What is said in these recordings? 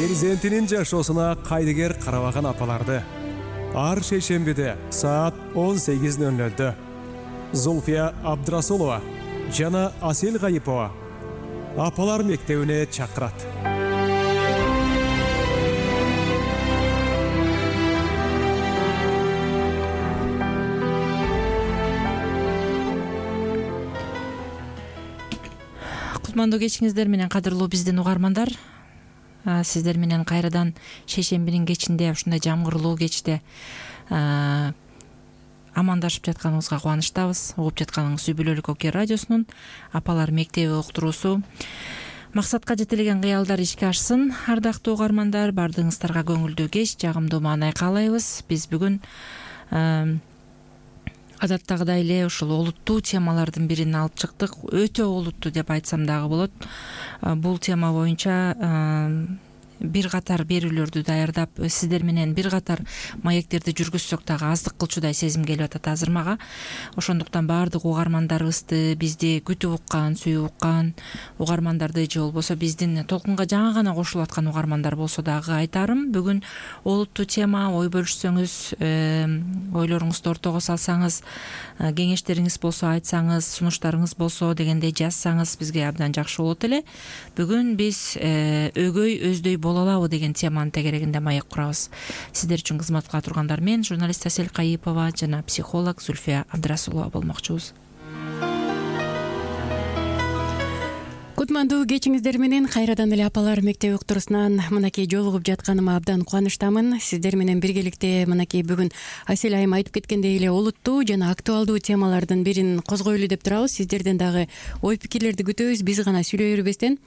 перзентинин жашоосуна кайдыгер карабаган апаларды ар шейшембиде саат 18:00 Зульфия Абдрасулова жана Асел Гайипова апалар мектебине чакырат. Кутмандуу кечиңиздер менен кадырлуу биздин угармандар. Сиздер менен кайрадан шейшембинин кечинде, ушундай жамгырлуу кечте амандашып жатканыбызга кубанычтабыз. Угуп жатканыңыз Үй Бүлөлүк Оке радиосунун апалар мектеби уктуруусу. Максатка жетелеген кыялдар ишке ашсын. Ардактуу угармандар, бардыгыңыздарга көңүлдүү кеч, жагымдуу маанай каалайбыз. Биз бүгүн адаттагыдай эле ушул олуттуу темалардын бирин алып чыктык. Өтө олуттуу деп айтсам дагы болот. Бул тема боюнча бир катар берүүлөрдү даярдап, сиздер менен бир катар маектерди жүргүзсөк дагы аздык кылчудай сезим келип атат азыр мага. Ошондуктан баардык угармандарыбызды, бизди күтүп уккан, сүйүп уккан угармандарды же болбосо биздин толкунга жаңы гана кошулуп аткан угармандар болсо дагы айтарым. Бүгүн олуттуу тема, ой бөлүшсөңүз, ойлоруңузду ортого салсаңыз, кеңештериңиз болсо айтсаңыз, сунуштарыңыз болсо дегендей жазсаңыз бизге абдан жакшы болот эле. Бүгүн биз өгөй өздөй боло алабы деген теманын тегерегинде маек курабыз. Сиздер үчүн кызматка тургандар мен, журналист Асел Гайипова жана психолог Зульфия Абдрасулова болмокчубуз. Кутмандуу кечиңиздер менен кайрадан эле апалар мектеби уктуруусунан мынакей жолугуп жатканыма абдан кубанычтамын. Сиздер менен биргеликте мынакей бүгүн Асел айым айтып кеткендей эле олуттуу жана актуалдуу темалардын бирин козгойлу деп турабыз. Сиздерден дагы ой пикирлерди күтөбүз. Биз гана сүйлөй бербестен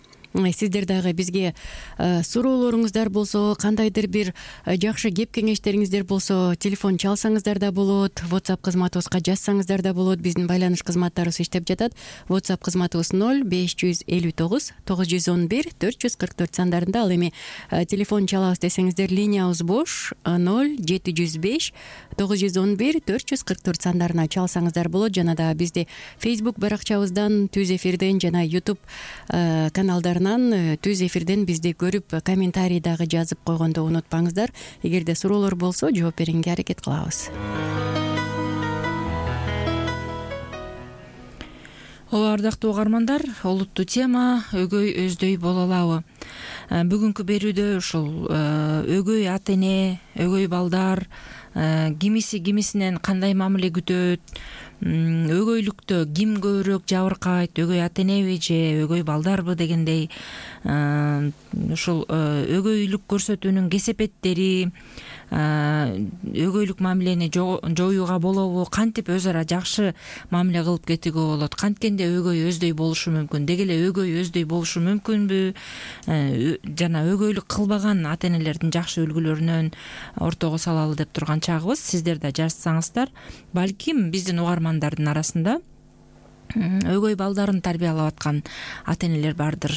сиздер дагы бизге суроолоруңуздар болсо, кандайдыр бир жакшы кеп кеңештериңиздер болсо, телефон чалсаңыздар да болот, WhatsApp кызматыбызга жазсаңыздар да болот. Биздин байланыш кызматтарыбыз иштеп жатат. WhatsApp кызматыбыз 0559 911 444 сандарында. Ал эми телефон чалабыз десеңиздер линиябыз бош 0705 911 444 сандарына чалсаңыздар болот. Жана да бизди Facebook баракчабыздан, Түз эфирден жана YouTube каналдарынан Түз эфирден бизди көрүп, комментарий дагы жазып койгондо унутпаңыздар. Эгерде суроолор болсо, жооп берүүгө аракет кылабыз. Ардактуу угармандар, олуттуу тема өгөй өздөй боло алабы? Бүгүнкү берүүдө ушул өгөй ата эне, өгөй балдар кимиси кимисинен кандай мамиле күтөт, өгөйлүктө ким көбүрөөк жабыркайт, өгөй ата энеби же өгөй балдарбы дегендей ушул өгөйлүк көрсөтүүнүн кесепеттери, өгөйлүк мамилени жоюуга болобу, кантип өз ара жакшы мамиле кылып кетүүгө болот, канткенде өгөй өздөй болушу мүмкүн, деги эле өгөй өздөй болушу мүмкүнбү, жана өгөйлүк кылбаган ата энелердин жакшы үлгүлөрүнөн ортого салалы деп турган чагыбыз. Сиздер да жазсаңыздар, балким биздин угармандардын арасында өгөй балдарын тарбиялап аткан ата энелер бардыр.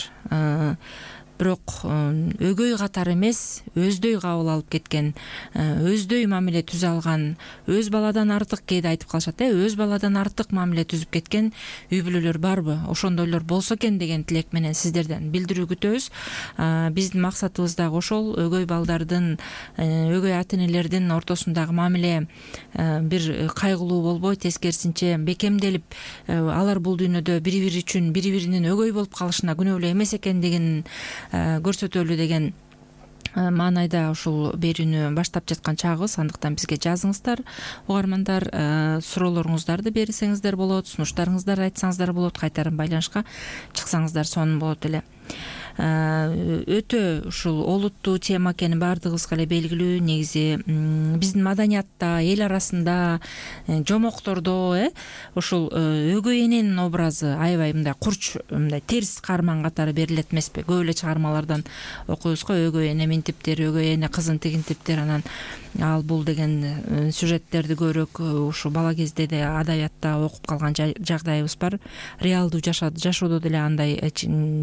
Бирок өгөй катары эмес, өздөй кабыл алып кеткен, өздөй мамиле түзө алган, өз баладан артык, кээде айтып калышат, өз баладан артык мамиле түзүп кеткен үй бүлөлөр барбы? Ошондойлор болсо экен деген тилек менен сиздерден билдирүү күтөбүз. Биздин максатыбыз дагы ошол, өгөй балдардын, өгөй ата энелердин ортосундагы мамиле бир кайгылуу болбой, тескерисинче бекемделип, алар бул дүйнөдө бири-бири үчүн бири-биринин өгөй болуп калышына күнөөлүү эмес экендигин көрсөтөлү деген маанайда ушул берүүнү баштап жаткан чагыбыз. Андыктан бизге жазыңыздар, угармандар, суроолоруңуздарды берсеңиздер болот, сунуштарыңыздар айтсаңыздар болот, кайтарым байланышка чыксаңыздар сонун болот эле. Өтө ушул олуттуу тема экени баардыгыбызга эле белгилүү. Негизи биздин маданиятта, эл арасында, жомоктордо ушул өгөй эненин образы аябай мындай курч, мындай терс каарман катары берилет эмеспи? Көп эле чыгармалардан окуйбуз го, өгөй эне минтиптер, өгөй эне кызын тигинтиптер, анан ал бул деген сюжеттерди көбүрөөк ушу бала кезде да адабиятта окуп калган жагдайыбыз бар. Реалдуу жашоодо деле андай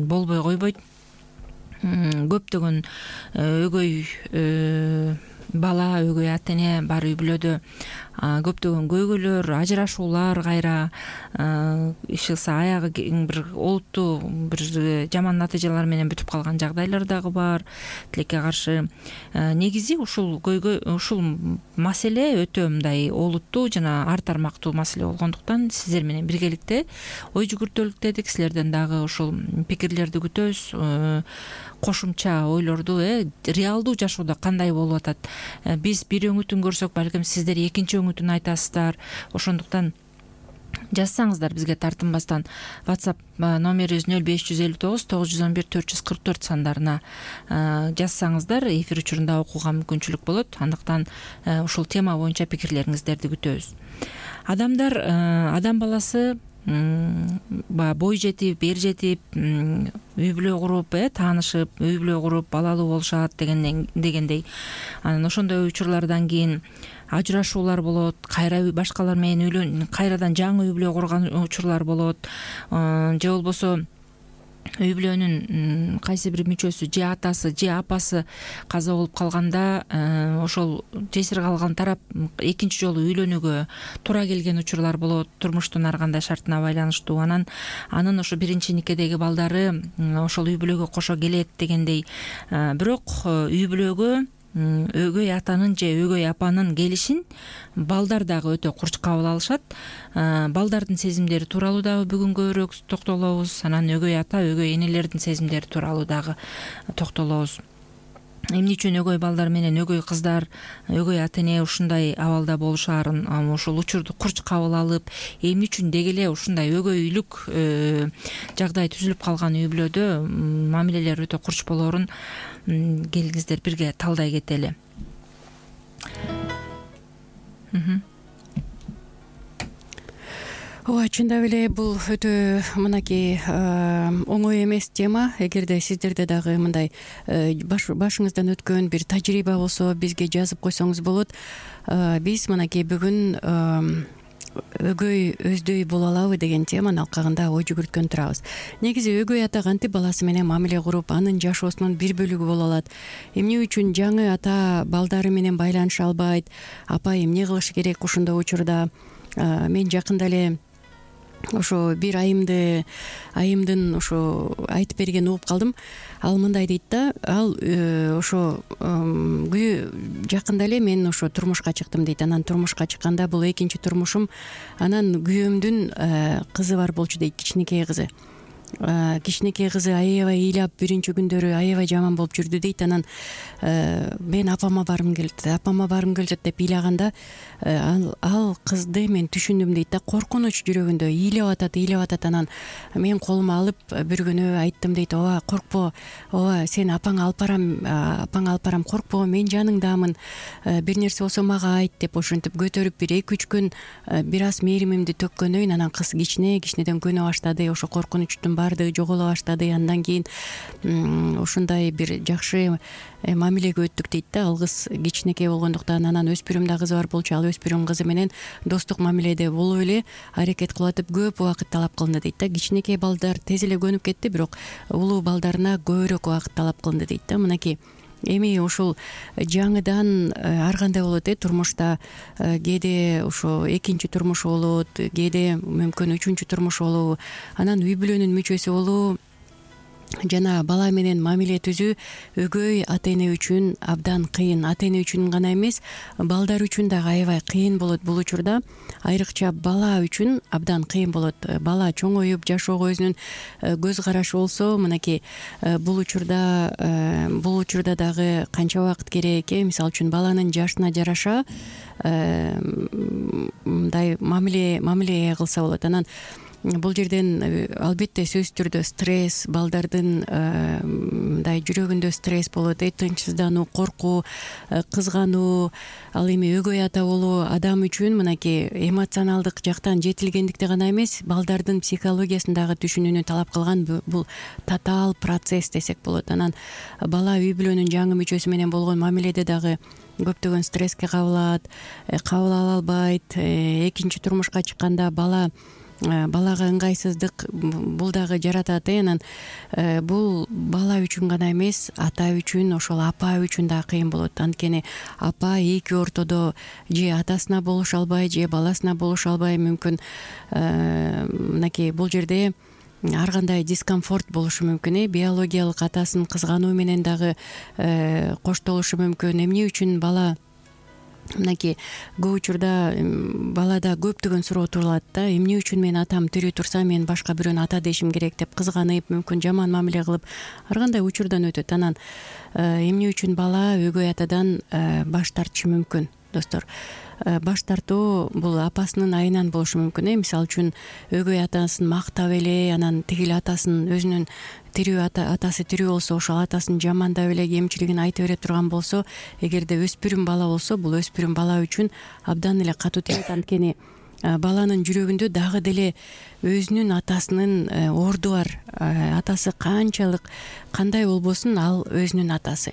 болбой койбойт. Көптөгөн өгөй бала, өгөй ата эне бар үй бүлөдө. көптөгөн көйгөйлөр, ажырашуулар кайра иш кылса аягы бир олуттуу бир жаман натыйжалар менен бүтүп калган жагдайлар дагы бар. Тилекке каршы негизи ушул маселе өтө мындай олуттуу жана ар тармактуу маселе болгондуктан сиздер менен биргеликте ой жүгүртөлүктедик. Силерден дагы ушул пикирлерди күтөбүз, кошумча ойлорду реалдуу жашоодо кандай болуп атат. Биз бир өңүтүн көрсөк, балким сиздер экинчи өңүтүн айтасыздар. Ошондуктан жазсаңыздар бизге тартынбастан WhatsApp номерибиз 0559 911 444 сандарына жазсаңыздар эфир учурунда окууга мүмкүнчүлүк болот. Андыктан ушул тема боюнча пикирлериңиздерди күтөбүз. Адам баласы бой жетип, эр жетип, үй бүлө куруп, таанышып, үй бүлө куруп, балалуу болушат дегендей. Анан ошондой учурлардан кийин ажырашуулар болот, кайра башкалар менен кайрадан жаңы үй бүлө курган учурлар болот. Же болбосо үй бүлөнүн кайсы бир мүчөсү, же атасы, же апасы каза болуп калганда, ошол жесир калган тарап экинчи жолу үйлөнүүгө туура келген учурлар болот, турмуштун ар кандай шартына байланыштуу. Анын ошо биринчи никедеги балдары ошол үй бүлөгө кошо келет дегендей. Бирок үй бүлөгө өгөй атанын же өгөй апанын келишин балдар дагы өтө курч кабыл алышат. Балдардын сезимдери тууралуу дагы бүгүн көбүрөөк токтолобуз. Анан өгөй ата, өгөй энелердин сезимдери тууралуу дагы токтолобуз. Эмне үчүн өгөй балдар менен өгөй кыздар, өгөй ата эне ушундай абалда болушаарын, ушул учурду курч кабыл алып, эмне үчүн деги эле ушундай өгөйлүк жагдай түзүлүп калган үй бүлөдө мамилелер өтө курч болоорун келиңиздер бирге талдай кетели. Ооба, чындап эле бул өтө мынакей оңой эмес тема. Эгерде сиздерде дагы мындай башыңыздан өткөн бир тажрыйба болсо, бизге жазып койсоңуз болот. Биз мынакей бүгүн өгөй өздөй боло алабы деген теманын алкагында ой жүгүрткөн турабыз. Негизи өгөй ата кантип баласы менен мамиле куруп, анын жашоосунун бир бөлүгү боло алат? Эмне үчүн жаңы ата балдары менен байланыша албайт? Апа эмне кылыш керек ушундой учурда? Мен жакында эле ошо бир айымдын ошо айтып берген угуп калдым. Ал мындай дейт да, ал ошо жакында эле мен ошо турмушка чыктым дейт. Анан турмушка чыкканда бул экинчи турмушум. Анан күйөөмдүн кызы бар болчу дейт, кичинекей кызы. Кичинекей кызы аябай ыйлап, биринчи күндөрү аябай жаман болуп жүрдү дейт. Анан мен апама баргым келет деп ыйлаганда ал кызды мен түшүндүм дейт да. Коркунуч жүрөгүндө ыйлап атат. Анан мен колума алып бир күнү айттым дейт. Ооба, коркпо. Ооба, сен апаңа алып барам, коркпо, мен жаныңдамын. Бир нерсе болсо мага айт деп ошентип көтөрүп бир 2-3 күн бир аз мээримимди төккөндөн кийин анан кыз кичинеден көнө баштады. Ошо коркунучтун баардыгы жоголо баштады. Андан кийин ушундай бир жакшы мамилеге өттүк дейт да. Ал кыз кичинекей болгондуктан, анан өспүрүм да кызы бар болчу. Ал өспүрүм кызы менен достук мамиледе болуп эле аракет кылып атып көп убакыт талап кылынды дейт да. Кичинекей балдар тез эле көнүп кетти, бирок улуу балдарына көбүрөөк убакыт талап кылынды дейт да. Мынакей эми ушул жаңыдан ар кандай болот турмушта. Кээде ошо экинчи турмуш болот, кээде мүмкүн үчүнчү турмуш болобу. Анан үй бүлөнүн мүчөсү болуу жана бала менен мамиле түзүү өгөй ата эне үчүн абдан кыйын. Ата эне үчүн гана эмес, балдар үчүн дагы аябай кыйын болот бул учурда. Айрыкча бала үчүн абдан кыйын болот. Бала чоңоюп жашоого өзүнүн көз карашы болсо, мынакей бул учурда дагы канча убакыт керек? Мисалы үчүн баланын жашына жараша мындай мамиле кылса болот. Анан бул жерден албетте сөзсүз түрдө стресс, балдардын мындай жүрөгүндө стресс болот, тынчсыздануу, коркуу, кызгануу. Ал эми өгөй ата болуу адам үчүн мынакей эмоционалдык жактан жетилгендикти гана эмес, балдардын психологиясын дагы түшүнүүнү талап кылган бул татаал процесс десек болот. Анан бала үй бүлөнүн жаңы мүчөсү менен болгон мамиледе дагы көптөгөн стресске кабыл ала албайт. Экинчи турмушка чыкканда бала балага ыңгайсыздык бул дагы жаратат. Анан бул бала үчүн гана эмес, ата үчүн, ошол апа үчүн да кыйын болот. Анткени апа эки ортодо же атасына болуша албай, же баласына болуша албай, мүмкүн мынакей бул жерде ар кандай дискомфорт болушу мүмкүн. Биологиялык атасын кызгануу менен дагы коштолушу мүмкүн. Эмне үчүн бала мынакей көп учурда балада көптөгөн суроо турулат да. Эмне үчүн мен атам тирүү турса мен башка бирөөнү ата дешим керек деп кызганып, мүмкүн жаман мамиле кылып ар кандай учурдан өтөт. Анан эмне үчүн бала өгөй атадан баш тартышы мүмкүн, достор? Баш тартуу бул апасынын айынан болушу мүмкүн. Мисалы үчүн өгөй атасын мактап эле, анан тигил атасын өзүнүн тирүү атасы тирүү болсо ошол атасын жамандап эле, кемчилигин айта бере турган болсо, эгерде өспүрүм бала болсо, бул өспүрүм бала үчүн абдан эле катуу тийет. Анткени баланын жүрөгүндө дагы деле өзүнүн атасынын орду бар. Атасы канчалык кандай болбосун, ал өзүнүн атасы.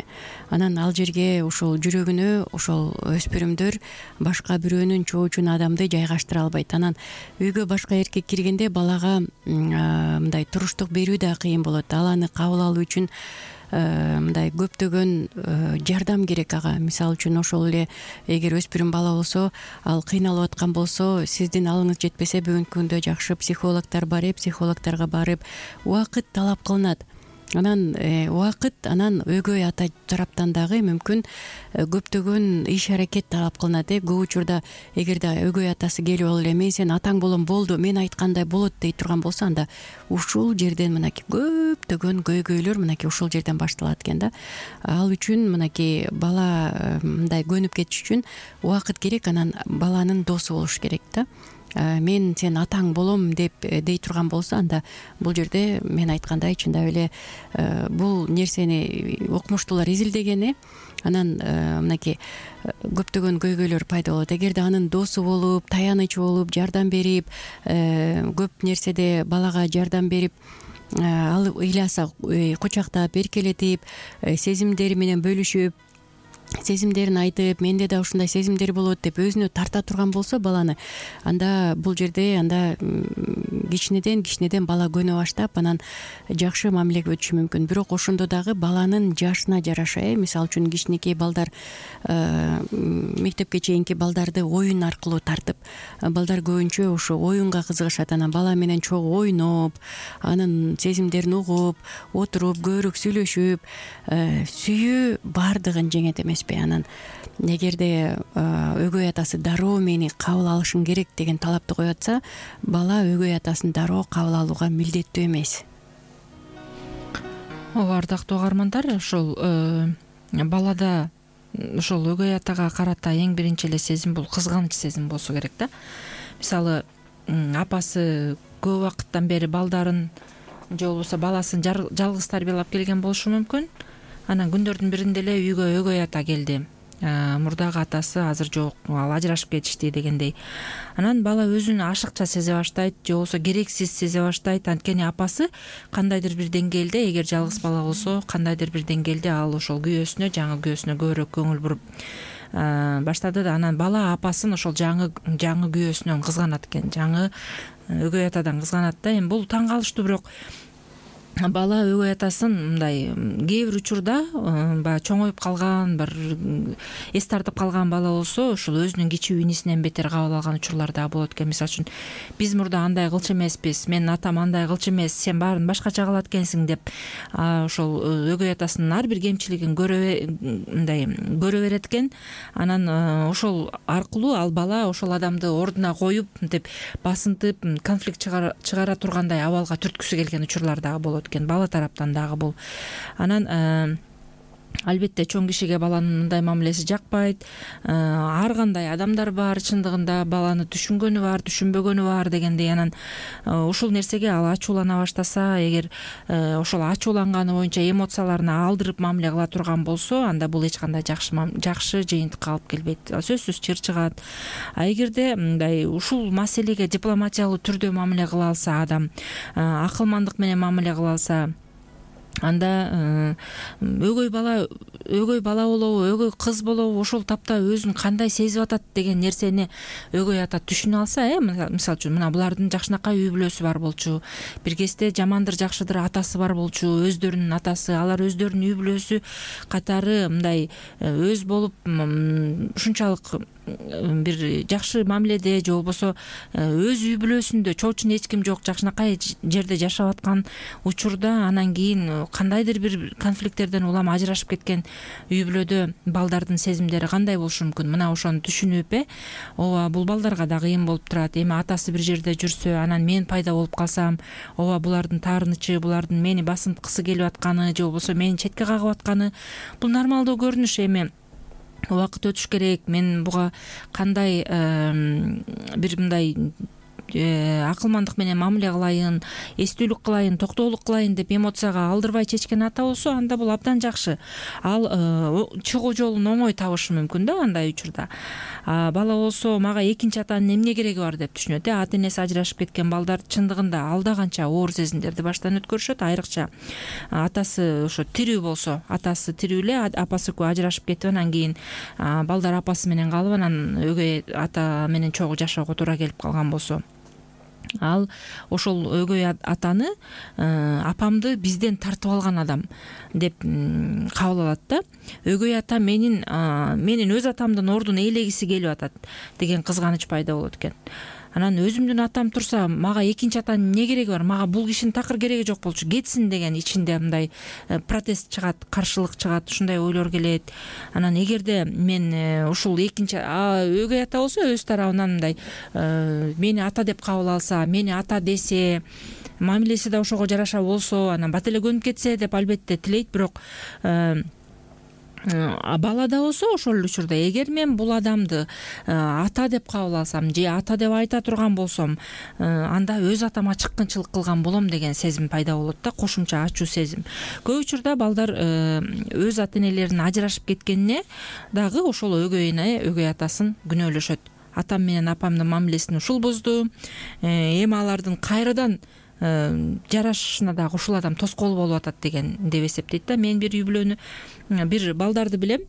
Анан ал жерге ошол жүрөгүнө ошол өспүрүмдөр башка бирөөнүн чоочун адамды жайгаштыра албайт. Анан үйгө башка эркек киргенде балага мындай туруштук берүү да кыйын болот. Ал аны кабыл алуу үчүн мындай көптөгөн жардам керек ага. Мисалы үчүн ошол эле эгер өспүрүм бала болсо, ал кыйналып аткан болсо, сиздин алыңыз жетпесе бүгүнкү күндө жакшы психологдор бар, психологдорго барып убакыт талап кылынат. Анан убакыт, анан өгөй ата тараптан дагы мүмкүн көптөгөн иш аракет талап кылынат. Көп учурда эгерде өгөй атасы келип алып эле мен сенин атаң болом, болду, мен айткандай болот дей турган болсо, анда ушул жерден мынакей көптөгөн көйгөйлөр мынакей ушул жерден башталат экен да. Ал үчүн мынакей бала мындай көнүп кетиш үчүн убакыт керек. Анан баланын досу болуш керек да. Мен сен атаң болом деп дей турган болсо, анда бул жерде мен айткандай чындап эле бул нерсени окумуштуулар изилдеген. Анан мынакей көптөгөн көйгөйлөр пайда болот. Эгерде анын досу болуп, таянычы болуп, жардам берип, көп нерседе балага жардам берип, ал ыйласа кучактап, эркелетип, сезимдери менен бөлүшүп, сезимдерин айтып, менде да ушундай сезимдер болот деп өзүнө тарта турган болсо баланы, анда бул жерде анда кичинеден бала көнө баштап, анан жакшы мамилеге өтүшү мүмкүн. Бирок ошондо дагы баланын жашына жараша, мисалы үчүн кичинекей балдар, мектепке чейинки балдарды оюн аркылуу тартып, балдар көбүнчө ошо оюнга кызыгышат. Анан бала менен чогуу ойноп, анын сезимдерин угуп, отуруп, көбүрөөк сүйлөшүп, сүйүү баардыгын жеңет эмеспи. Анан эгерде өгөй атасы дароо мени кабыл алышың керек деген талапты коюп атса, бала өгөй атасын дароо кабыл алууга милдеттүү эмес. Ардактуу угармандар, ошол балада ошол өгөй атага карата эң биринчи эле сезим бул кызганыч сезим болсо керек да. Мисалы, апасы көп убакыттан бери балдарын же болбосо баласын жалгыз тарбиялап келген болушу мүмкүн. Анан күндөрдүн биринде эле үйгө өгөй ата келди. Мурдагы атасы азыр жок, ал ажырашып кетишти дегендей. Анан бала өзүн ашыкча сезе баштайт, же болбосо керексиз сезе баштайт. Анткени апасы кандайдыр бир деңгээлде, эгер жалгыз бала болсо, кандайдыр бир деңгээлде ал ошол күйөөсүнө, жаңы күйөөсүнө көбүрөөк көңүл буруп баштады да. Анан бала апасын ошол жаңы күйөөсүнөн кызганат экен, жаңы өгөй атадан кызганат да. Эми бул таң калыштуу, бирок бала өгөй атасын мындай кээ бир учурда баягы чоңоюп калган, бир эс тартып калган бала болсо, ошол өзүнүн кичүү инисинен бетер кабыл алган учурлар да болот экен. Мисалы үчүн, биз мурда андай кылчу эмеспиз, менин атам андай кылчу эмес, сен баарын башкача кылат экенсиң деп ошол өгөй атасынын ар бир кемчилигин көрө берет экен. Анан ошол аркылуу ал бала ошол адамды ордуна коюп, мынтип басынтып, конфликт чыгара тургандай абалга түрткүсү келген учурлар дагы болот экен, бала тараптан дагы бул. Анан албетте чоң кишиге баланын мындай мамилеси жакпайт. Ар кандай адамдар бар, чындыгында баланы түшүнгөнү бар, түшүнбөгөнү бар дегендей. Анан ушул нерсеге ал ачуулана баштаса, эгер ошол ачууланганы боюнча эмоцияларын алдырып мамиле кыла турган болсо, анда бул эч кандай жакшы жыйынтыкка алып келбейт, сөзсүз чыр чыгат. Эгерде мындай ушул маселеге дипломатиялуу түрдө мамиле кыла алса адам, акылмандык менен мамиле кыла алса, анда өгөй бала өгөй бала болобу, өгөй кыз болобу, ошол тапта өзүн кандай сезип атат деген нерсени өгөй ата түшүнө алса, мисалы үчүн мына булардын жакшынакай үй бүлөсү бар болчу, бир кезде жамандыр жакшыдыр атасы бар болчу, өздөрүнүн атасы, алар өздөрүнүн үй бүлөсү катары мындай өз болуп ушунчалык бир жакшы мамиледе же болбосо өз үй бүлөсүндө чоочун эч ким жок жакшынакай жерде жашап аткан учурда анан кийин кандайдыр бир конфликттерден улам ажырашып кеткен үй бүлөдө балдардын сезимдери кандай болушу мүмкүн? Мына ошону түшүнүп ооба бул балдарга да кыйын болуп турат. Эми атасы бир жерде жүрсө, анан мен пайда болуп калсам, ооба булардын таарынычы, булардын мени басынткысы келип атканы же болбосо мени четке кагып атканы бул нормалдуу көрүнүш. Эми убакыт өтүш керек, мен буга кандай бир мындай акылмандык менен мамиле кылайын, эстүүлүк кылайын, токтоолук кылайын деп эмоцияга алдырбай чечкен ата болсо, анда бул абдан жакшы. Ал чыгуу жолун оңой табышы мүмкүн да андай учурда. Бала болсо мага экинчи атанын эмне кереги бар деп түшүнөт. Ата энеси ажырашып кеткен балдар чындыгында алда канча оор сезимдерди баштан өткөрүшөт, айрыкча атасы ошо тирүү болсо, атасы тирүү эле, апасы экөө ажырашып кетип, анан кийин балдар апасы менен калып, анан өгөй ата менен чогуу жашоого туура келип калган болсо, ал ошол өгөй атаны апамды бизден тартып алган адам деп кабыл алат да. Өгөй ата менин өз атамдын ордун ээлегиси келип атат деген кызганыч пайда болот экен. Анан өзүмдүн атам турса, мага экинчи атанын эмне кереги бар? Мага бул кишинин такыр кереги жок болчу, кетсин деген ичинде мындай протест чыгат, каршылык чыгат, ушундай ойлор келет. Анан эгерде мен ушул экинчи өгөй ата болсо өз тарабынан мындай мени ата деп кабыл алса, мени ата десе, мамилеси да ошого жараша болсо, анан бат эле көнүп кетсе деп албетте тилейт. Бирок бала да болсо ошол эле учурда эгер мен бул адамды ата деп кабыл алсам же ата деп айта турган болсом, анда өз атама чыккынчылык кылган болом деген сезим пайда болот да, кошумча ачуу сезим. Көп учурда балдар өз ата энелеринин ажырашып кеткенине дагы ошол өгөй атасын күнөөлөшөт. Атам менен апамдын мамилесин ушул бузду, эми алардын кайрадан жарашышына дагы ушул адам тоскоол болуп атат деген деп эсептейт да. Мен бир үй бүлөнү, бир балдарды билем.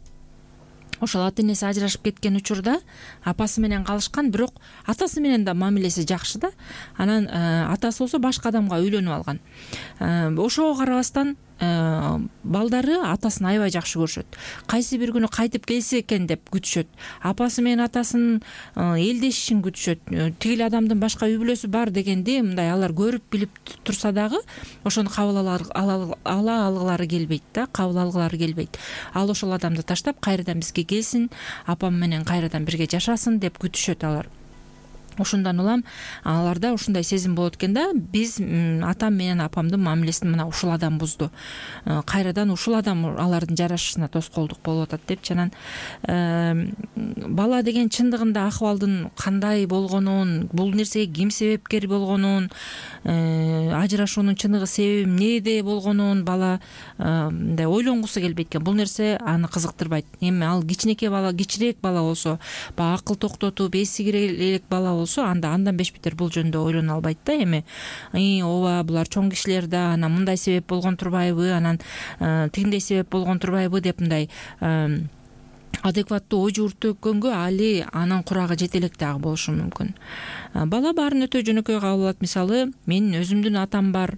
Ошол ата энеси ажырашып кеткен учурда апасы менен калышкан, бирок атасы менен да мамилеси жакшы да. Анан атасы болсо башка адамга үйлөнүп алган. Ошого карабастан балдары атасын аябай жакшы көрүшөт. Кайсы бир күнү кайтып келсе экен деп күтүшөт. Апасы менен атасынын элдешишин күтүшөт. Тигил адамдын башка үй бүлөсү бар дегенди мындай алар көрүп билип турса дагы ошону кабыл ала алгылары келбейт да, кабыл алгылары келбейт. Ал ошол адамды таштап кайрадан бизге келсин, апам менен кайрадан бирге жашасын деп күтүшөт алар. Ошондон улам аларда ушундай сезим болот экен да, биз атам менен апамдын мамилесин мына ушул адам бузду, кайрадан ушул адам алардын жарашышына тоскоолдук болуп атат деп. Анан бала деген чындыгында акыбалдын кандай болгонун, бул нерсеге ким себепкер болгонун, ажырашуунун чыныгы себеби эмнеде болгонун бала мындай ойлонгусу келбейт экен. Бул нерсе аны кызыктырбайт. Эми ал кичинекей бала, кичирээк бала болсо, баягы акыл токтотуп эси кире элек бала болсо, андан бешбетер бул жөнүндө ойлоно албайт да. Эми ооба булар чоң кишилер да, анан мындай себеп болгон турбайбы, анан тигиндей себеп болгон турбайбы деп мындай адекваттуу ой жүгүртүккөнгө али анын курагы жете элек дагы болушу мүмкүн. Бала баарын өтө жөнөкөй кабыл алат. Мисалы, менин өзүмдүн атам бар,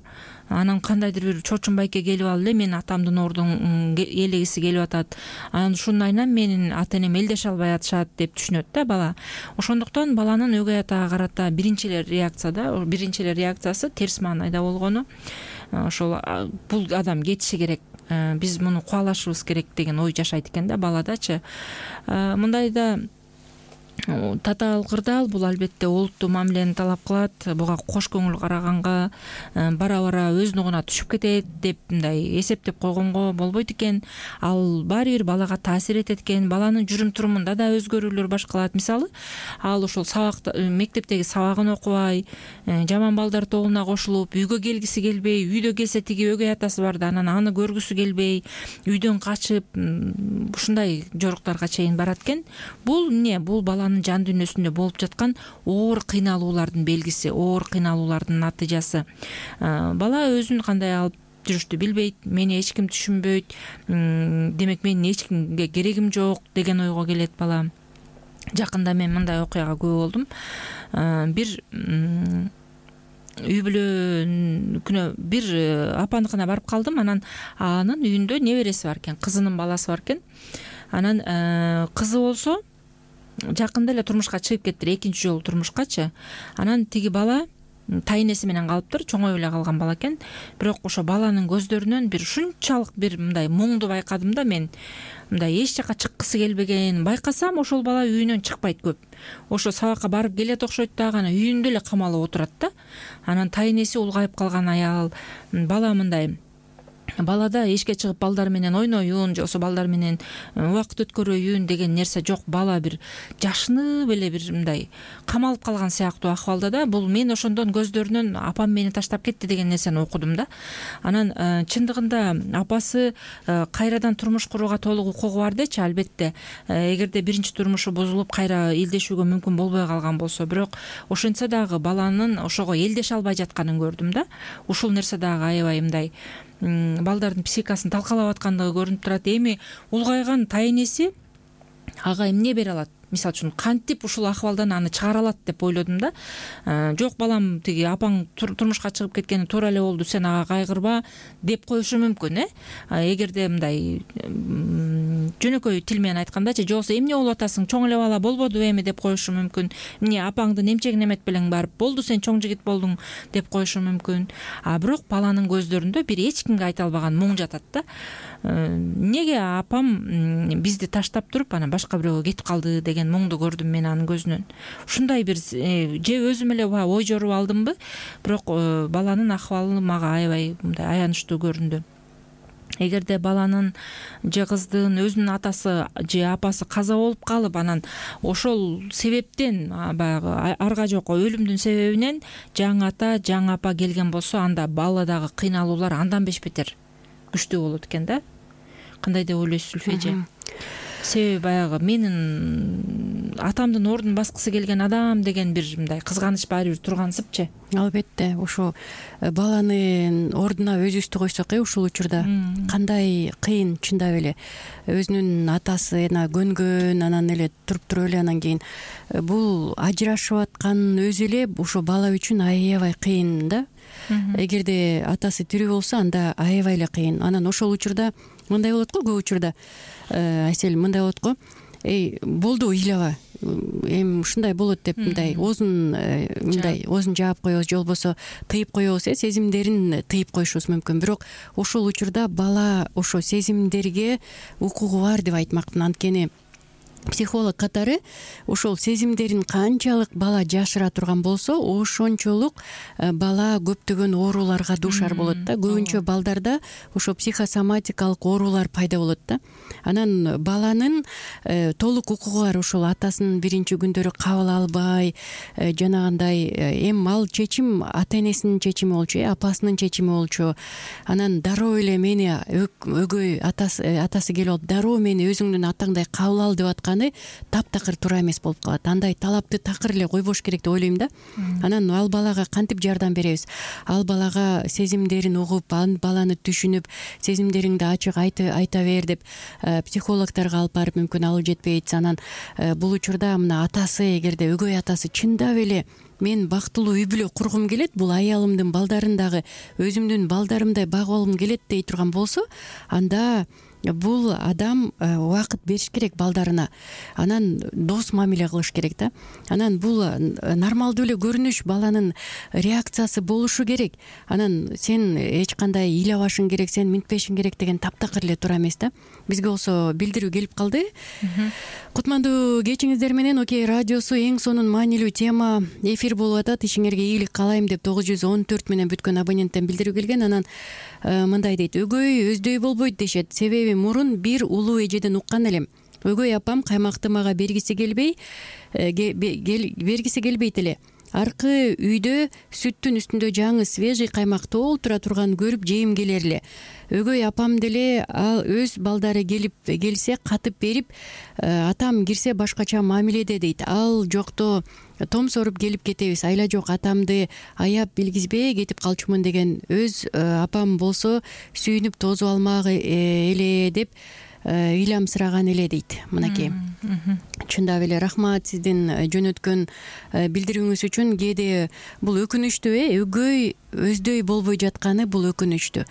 анан кандайдыр бир чоочун байке келип алып эле менин атамдын ордун ээлегиси келип атат, анан ушундайынан менин ата энем элдеше албай атышат деп түшүнөт да бала. Ошондуктан баланын өгөй атага карата биринчи эле реакциясы терс маанайда болгону, ошол бул адам кетиши керек, биз муну кубалашыбыз керек деген ой жашайт экен да баладачы. Мындайда татаал кырдаал бул албетте олуттуу мамилени талап кылат. Буга кош көңүл караганга, бара бара өз нугуна түшүп кетет деп мындай эсептеп койгонго болбойт экен. Ал баары бир балага таасир этет экен. Баланын жүрүм турумунда да өзгөрүүлөр башкалат. Мисалы, ал ошол мектептеги сабагын окубай, жаман балдар тобуна кошулуп, үйгө келгиси келбей, үйдө келсе тиги өгөй атасы бар да, анан аны көргүсү келбей, үйдөн качып, ушундай жоруктарга чейин барат экен. Бул эмне? Бул баланын жан дүйнөсүндө болуп жаткан оор кыйналуулардын белгиси, оор кыйналуулардын натыйжасы. Бала өзүн кандай алып жүрүштү билбейт, мени эч ким түшүнбөйт, демек менин эч кимге керегим жок деген ойго келет бала. Жакында мен мындай окуяга күбө болдум. Бир үй бүлөнүкүнө бир апаныкына барып калдым. Анан анын үйүндө небереси бар экен, кызынын баласы бар экен. Анан кызы болсо жакында эле турмушка чыгып кеттир, экинчи жолу турмушкачы. Анан тиги бала тайнеси менен калыптыр, чоңоюп эле калган бала экен. Бирок ошо баланын көздөрүнөн бир ушунчалык бир мындай муңду байкадым да мен. Мындай эч жака чыккысы келбеген. Байкасам ошол бала үйүнөн чыкпайт көп. Ошо сабакка барып келет окшойт дагы, анан үйүндө эле камалып отурат да. Анан тайнеси улгайып калган аял, бала мындай балада эшикке чыгып балдар менен ойноюн, же болбосо балдар менен убакыт өткөрөйүн деген нерсе жок. Бала бир жашынып эле бир мындай камалып калган сыяктуу акыбалда да. Бул мен ошондон көздөрүнөн апам мени таштап кетти деген нерсени окудум да. Анан чындыгында апасы кайрадан турмуш курууга толук укугу бар дечи, албетте. Эгерде биринчи турмушу бузулуп кайра элдешүүгө мүмкүн болбой калган болсо, бирок ошентсе дагы баланын ошого элдеше албай жатканын көрдүм да. Ушул нерсе дагы аябай мындай балдардын психикасын талкалап аткандыгы көрүнүп турат. Эми улгайган тайнеси ага эмне бере алат? Мисалы үчүн кантип ушул акыбалдан аны чыгара алат деп ойлодум да. Жок балам, тиги апаң турмушка чыгып кеткени туура эле болду, сен ага кайгырба деп коюшу мүмкүн. Эгерде мындай жөнөкөй тил менен айткандачы, же болбосо эмне болуп атасың, чоң эле бала болбоду эми деп коюшу мүмкүн. Эмне апаңдын эмчегин эметип элең барып, болду сен чоң жигит болдуң деп коюшу мүмкүн. Бирок баланын көздөрүндө бир эч кимге айта албаган муң жатат да. Неге апам бизди таштап туруп анан башка бирөөгө кетип калды деген муңду көрдүм мен анын көзүнөн. Ушундай бир же өзүм эле ой жоруп алдымбы, бирок баланын акыбалы мага аябай мындай аянычтуу көрүндү. Эгерде баланын же кыздын өзүнүн атасы же апасы каза болуп калып, анан ошол себептен баягы арга жок өлүмдүн себебинен жаңы ата, жаңы апа келген болсо, анда баладагы кыйналуулар андан бешбетер күчтүү болот экен да. Кандай деп ойлойсуз Зульфия? Себеби баягы менин атамдын ордун баскысы келген адам деген бир мындай кызганыч баары бир тургансыпчы. Албетте, ошо баланын ордуна өзүбүздү койсок, ушул учурда кандай кыйын чындап эле. Өзүнүн атасына көнгөн, анан эле туруп эле анан кийин бул ажырашып аткан өзү эле ошо бала үчүн аябай кыйын да. Эгерде атасы тирүү болсо, анда аябай эле кыйын. Анан ошол учурда мындай болот го, көп учурда Асель мындай болот го, болду ыйлаба, эми ушундай болот деп мындай оозун жаап коебуз, же болбосо тыйып коебуз, сезимдерин тыйып коюшубуз мүмкүн. Бирок ошол учурда бала ошо сезимдерге укугу бар деп айтмакмын. Анткени психолог катары ошол сезимдерин канчалык бала жашыра турган болсо, ошончолук бала көптөгөн ооруларга дуушар болот да. Көбүнчө балдарда ошо психосоматикалык оорулар пайда болот да. Анан баланын толук укугу бар. Ошол атасынын биринчи күндөрү кабыл албай, жанагындай эми ал чечим ата энесинин чечими болчу, апасынын чечими болчу. Анан дароо эле мени өгөй атасы келип алып, дароо мени өзүңдүн атаңдай кабыл ал деп аткан таптакыр туура эмес болуп калат. Андай талапты такыр эле койбош керек деп ойлойм да. Анан ал балага кантип жардам беребиз? Ал балага сезимдерин угуп, баланы түшүнүп, сезимдериңди ачык айта бер деп психологдорго алып барып, мүмкүн алып жетпейт. Анан бул учурда мына атасы, эгерде өгөй атасы чындап эле мен бактылуу үй бүлө кургум келет, бул аялымдын балдарын дагы өзүмдүн балдарымдай багып алгым келет дей турган болсо, анда бул адам убакыт бериш керек балдарына. Анан дос мамиле кылыш керек да. Анан бул нормалдуу эле көрүнүш, баланын реакциясы болушу керек. Анан сен эч кандай ыйлабашың керек, сен минтпешиң керек деген таптакыр эле туура эмес да. Бизге болсо билдирүү келип калды. Кутмандуу кечиңиздер менен Окей радиосу эң сонун маанилүү тема эфир болуп атат. Ишиңерге ийгилик каалайм деп 914 менен бүткөн абоненттен билдирүү келген. Анан мындай дейт: өгөй өздөй болбойт дешет. Себеби мурун бир улуу эжеден уккан элем. Өгөй апам каймакты мага бергиси келбейт эле. Аркы үйдө сүттүн үстүндө жаңы свежий каймак толтура турган көрүп жейим келер эле. Өгөй апам деле ал өз балдары келсе катып берип, атам кирсе башкача мамиледе дейт. Ал жокто томсоруп келип кетебиз. Айла жок атамды аяп билгизбей кетип калчумун деген өз апам болсо сүйүнүп тозуп алмак эле деп ыйламсыраган эле дейт. Мынакей чындап эле рахмат сиздин жөнөткөн билдирүүңүз үчүн. Кээде бул өкүнүчтүү, өгөй өздөй болбой жатканы бул өкүнүчтүү.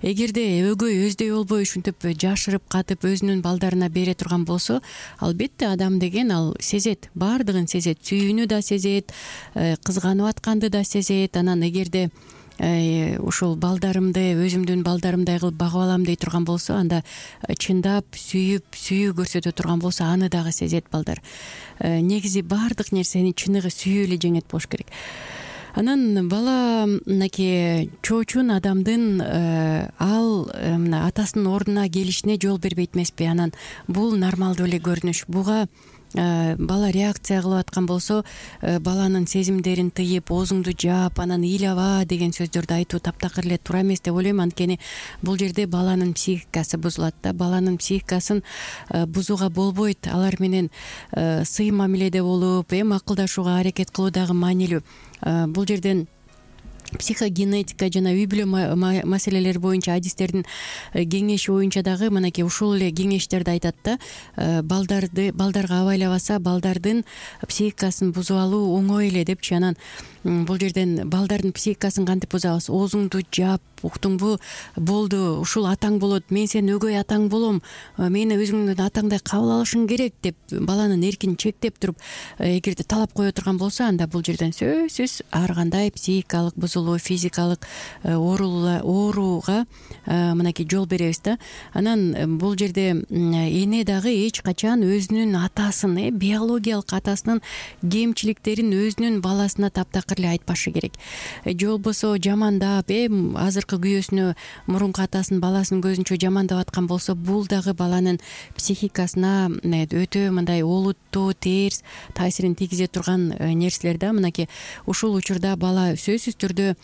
Эгерде өгөй өздөй болбой ушинтип жашырып катып өзүнүн балдарына бере турган болсо, албетте адам деген ал сезет, баардыгын сезет, сүйүүнү да сезет, кызганып атканды да сезет. Анан эгерде ушул балдарымды өзүмдүн балдарымдай кылып багып алам дей турган болсо, анда чындап сүйүү көрсөтө турган болсо, аны дагы сезет балдар. Негизи баардык нерсени чыныгы сүйүү эле жеңет болуш керек. Анан бала мынакей чоочун адамдын ал мына атасынын ордуна келишине жол бербейт эмеспи? Анан бул нормалдуу эле көрүнүш. Буга бала реакция кылып аткан болсо, баланын сезимдерин тыйып, оозуңду жаап, анан ыйлаба деген сөздөрдү айтуу таптакыр эле туура эмес деп ойлойм. Анткени бул жерде баланын психикасы бузулат да. Баланын психикасын бузууга болбойт. Алар менен сый мамиледе болуп, макулдашууга аракет кылуу дагы маанилүү. Бул жерден психогенетика жана үй бүлө маселелери боюнча адистердин кеңеши боюнча дагы мынакей ушул эле кеңештерди айтат да. Балдарга абайлабаса, балдардын психикасын бузуп алуу оңой эле депчи. Анан бул жерден балдардын психикасын кантип бузабыз? Оозуңду жаап, уктуңбу? Болду, ушул атаң болот, мен сенин өгөй атаң болом, мени өзүңдүн атаңдай кабыл алышың керек деп баланын эркин чектеп туруп, эгерде талап кое турган болсо, анда бул жерден сөзсүз ар кандай психикалык бузулуу, физикалык ооруга мынакей жол беребиз да. Анан бул жерде эне дагы эч качан өзүнүн атасын, биологиялык атасынын кемчиликтерин өзүнүн баласына таптакыр эле айтпашы керек. Же болбосо жамандап, азыркы күйөөсүнө, мурунку атасын баласынын көзүнчө жамандап аткан болсо, бул дагы баланын психикасына өтө мындай олуттуу, терс таасирин тийгизе турган нерселер да. Мынакей ушул учурда бала сөзсүз түрдө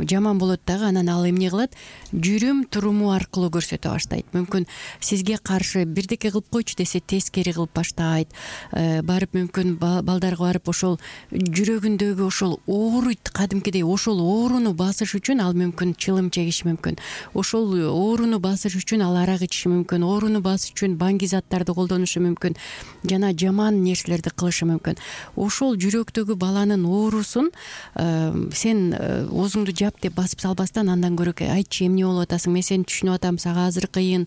жаман болот дагы. Анан ал эмне кылат? Жүрүм туруму аркылуу көрсөтө баштайт. Мүмкүн сизге каршы бирдеке кылып койчу десе, тескери кылып баштайт. Барып мүмкүн балдарга барып ошол жүрөгүндөгү ошол ооруйт, кадимкидей ошол ооруну басыш үчүн ал мүмкүн чылым чегиши мүмкүн. Ошол ооруну басыш үчүн ал арак ичиши мүмкүн. Ооруну басыш үчүн баңги заттарды колдонушу мүмкүн. Жана жаман нерселерди кылышы мүмкүн. Ошол жүрөктөгү баланын оорусун сен оозуңду жап деп басып салбастан, андан көрө айтчы, эмне болуп атасың, мен сени түшүнүп атам, сага азыр кыйын,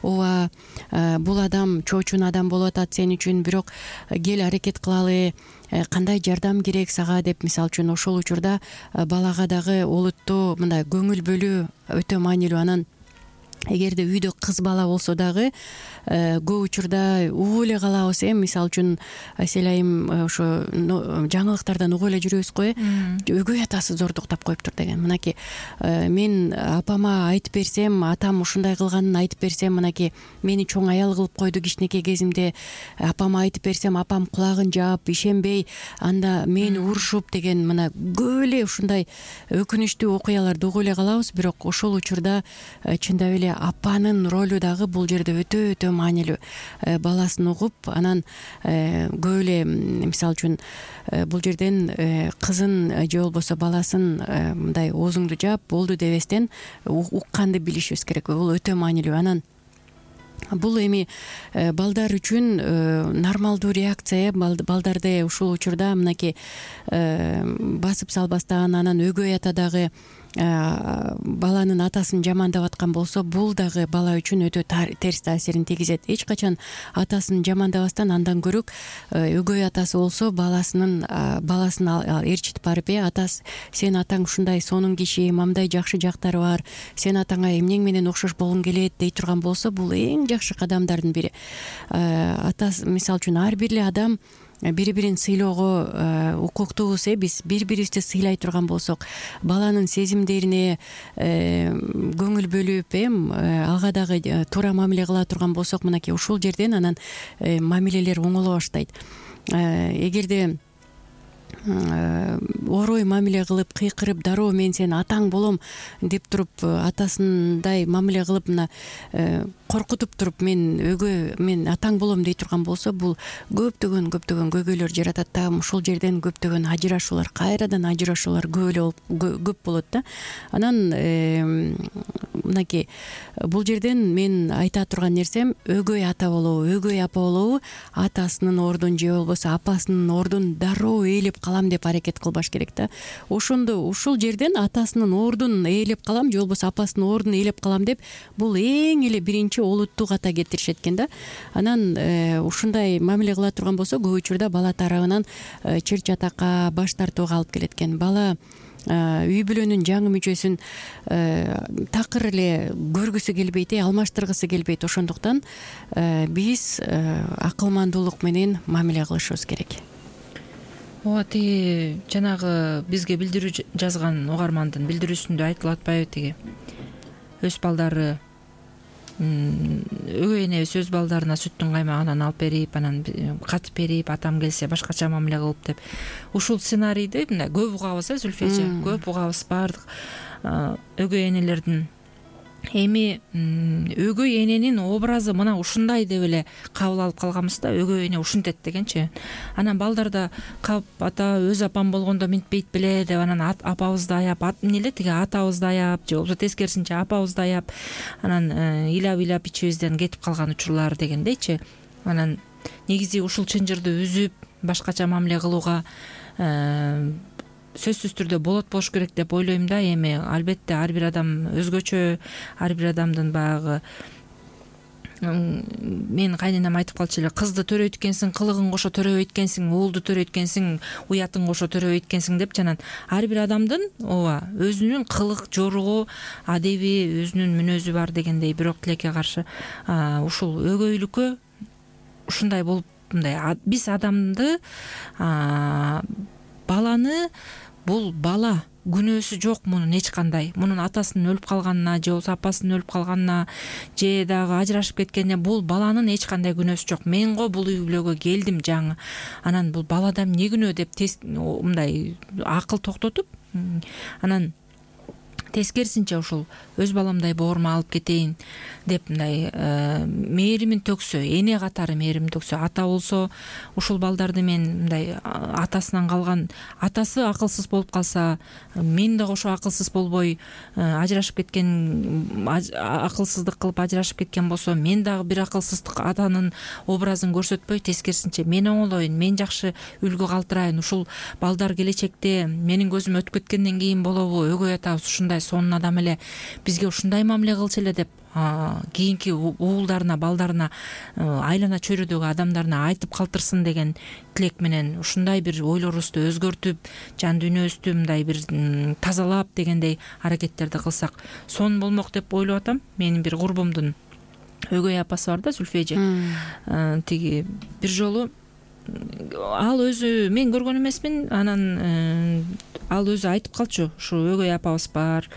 ооба бул адам чоочун адам болуп атат сен үчүн, бирок кел аракет кылалы, кандай жардам керек сага деп. Мисалы үчүн ошол учурда балага дагы олуттуу мындай көңүл бөлүү өтө маанилүү. Анан эгерде үйдө кыз бала болсо дагы көп учурда угуп эле калабыз. Мисалы үчүн Асель айым ошо жаңылыктардан угуп эле жүрөбүз го. Өгөй атасы зордуктап коюптур деген. Мынакей мен апама айтып берсем, атам ушундай кылганын айтып берсем, мынакей мени чоң аял кылып койду кичинекей кезимде, апама айтып берсем, апам кулагын жаап, ишенбей, анда мени урушуп деген, мына көп эле ушундай өкүнүчтүү окуяларды угуп эле калабыз. Бирок ошол учурда чындап эле апанын ролу дагы бул жерде өтө маанилүү. Баласын угуп, анан көп эле мисалы үчүн бул жерден кызын же болбосо баласын мындай оозуңду жаап болду дебестен укканды билишибиз керек. Бул өтө маанилүү. Анан бул эми балдар үчүн нормалдуу реакция. Балдарды ушул учурда мынакей басып салбастан, анан өгөй ата дагы баланын атасын жамандап аткан болсо, бул дагы бала үчүн өтө терс таасирин тийгизет. Эч качан атасын жамандабастан, андан көрөк өгөй атасы болсо баласын ээрчитип барып, атас, сен атаң ушундай сонун киши, мамдай жакшы жактары бар, сен атаңа эмнең менен окшош болгуң келет дей турган болсо, бул эң жакшы кадамдардын бири. Атасы мисалы үчүн ар бир эле адам бири-бирин сыйлоого укуктуубуз. Биз бири-бирибизди сыйлай турган болсок, баланын сезимдерине көңүл бөлүп, ага дагы туура мамиле кыла турган болсок, мынакей ушул жерден анан мамилелер оңоло баштайт. Эгерде орой мамиле кылып, кыйкырып, дароо мен сенин атаң болом деп туруп, атасындай мамиле кылып, мына коркутуп туруп, мен атаң болом дей турган болсо, бул көптөгөн көйгөйлөр жаратат да. Ушул жерден көптөгөн ажырашуулар, кайрадан ажырашуулар көп болот да. Анан мынакей бул жерден мен айта турган нерсем, өгөй ата болобу, өгөй апа болобу, атасынын ордун же болбосо апасынын ордун дароо ээлеп калам деп аракет кылбаш керек да. Ушул жерден атасынын ордун ээлеп калам же болбосо апасынын ордун ээлеп калам деп, бул эң эле биринчи олуттуу ката кетиришет экен да. Анан ушундай мамиле кыла турган болсо, көп учурда бала тарабынан чыр чатакка, баш тартууга алып келет экен. Бала үй бүлөнүн жаңы мүчөсүн такыр эле көргүсү келбейт, алмаштыргысы келбейт. Ошондуктан биз акылмандуулук менен мамиле кылышыбыз керек. Ооба, тиги жанагы бизге билдирүү жазган угармандын билдирүүсүндө айтылып атпайбы, тиги өз балдары, өгөй энебиз өз балдарына сүттүн каймагынан алып берип, анан катып берип, атам келсе башкача мамиле кылып деп. Ушул сценарийди мындай көп угабыз, Зүлфия, көп угабыз баардык өгөй энелердин. Эми өгөй эненин образы мына ушундай деп эле кабыл алып калганбыз да, өгөй эне ушинтет дегенчи. Анан балдарда кап ата өз апам болгондо мынтпейт беле деп, анан апабызды аяп, эмне эле тиги атабызды аяп, же болбосо тескерисинче апабызды аяп, анан ыйлап ичибизден кетип калган учурлар дегендейчи. Анан негизи ушул чынжырды үзүп, башкача мамиле кылууга сөзсүз түрдө болуш керек деп ойлойм да. Эми албетте ар бир адам өзгөчө, ар бир адамдын баягы, мен кайненем айтып калчу эле, кызды төрөйт экенсиң, кылыгың кошо төрөбөйт экенсиң, уулду төрөйт экенсиң, уятың кошо төрөбөйт экенсиң деп. Жанан ар бир адамдын ооба өзүнүн кылык жоругу, адеби, өзүнүн мүнөзү бар дегендей. Бирок тилекке каршы ушул өгөйлүккө ушундай болуп, мындай биз адамды, баланы, бул бала күнөөсү жок, мунун эч кандай, мунун атасынын өлүп калганына же болбосо апасынын өлүп калганына же дагы ажырашып кеткенине бул баланын эч кандай күнөөсү жок. Мен го бул үй бүлөгө келдим жаңы, анан бул балада эмне күнөө деп мындай акыл токтотуп, анан тескерисинче ушул өз баламдай боорума алып кетейин деп мындай мээримин төксө, эне катары мээрим төксө, ата болсо ушул балдарды мен мындай атасынан калган, атасы акылсыз болуп калса, мен да кошо акылсыз болбой ажырашып кеткен, акылсыздык кылып ажырашып кеткен болсо, мен дагы бир акылсыздык атанын образын көрсөтпөй, тескерисинче мен оңолоюн, мен жакшы үлгү калтырайын. Ушул балдар келечекте менин көзүм өтүп кеткенден кийин болобу, өгөй атабыз ушундай сонун адам эле, бизге ушундай мамиле кылчу эле деп кийинки уулдарына, балдарына, айлана чөйрөдөгү адамдарына айтып калтырсын деген тилек менен ушундай бир ойлорубузду өзгөртүп, жан дүйнөбүздү мындай бир тазалап дегендей аракеттерди кылсак сонун болмок деп ойлоп атам. Менин бир курбумдун өгөй апасы бар да, Зүлфия эже. Тиги бир жолу ал өзү, мен көргөн эмесмин, анан ал өзү айтып калчу, ушу өгөй апабыз бар,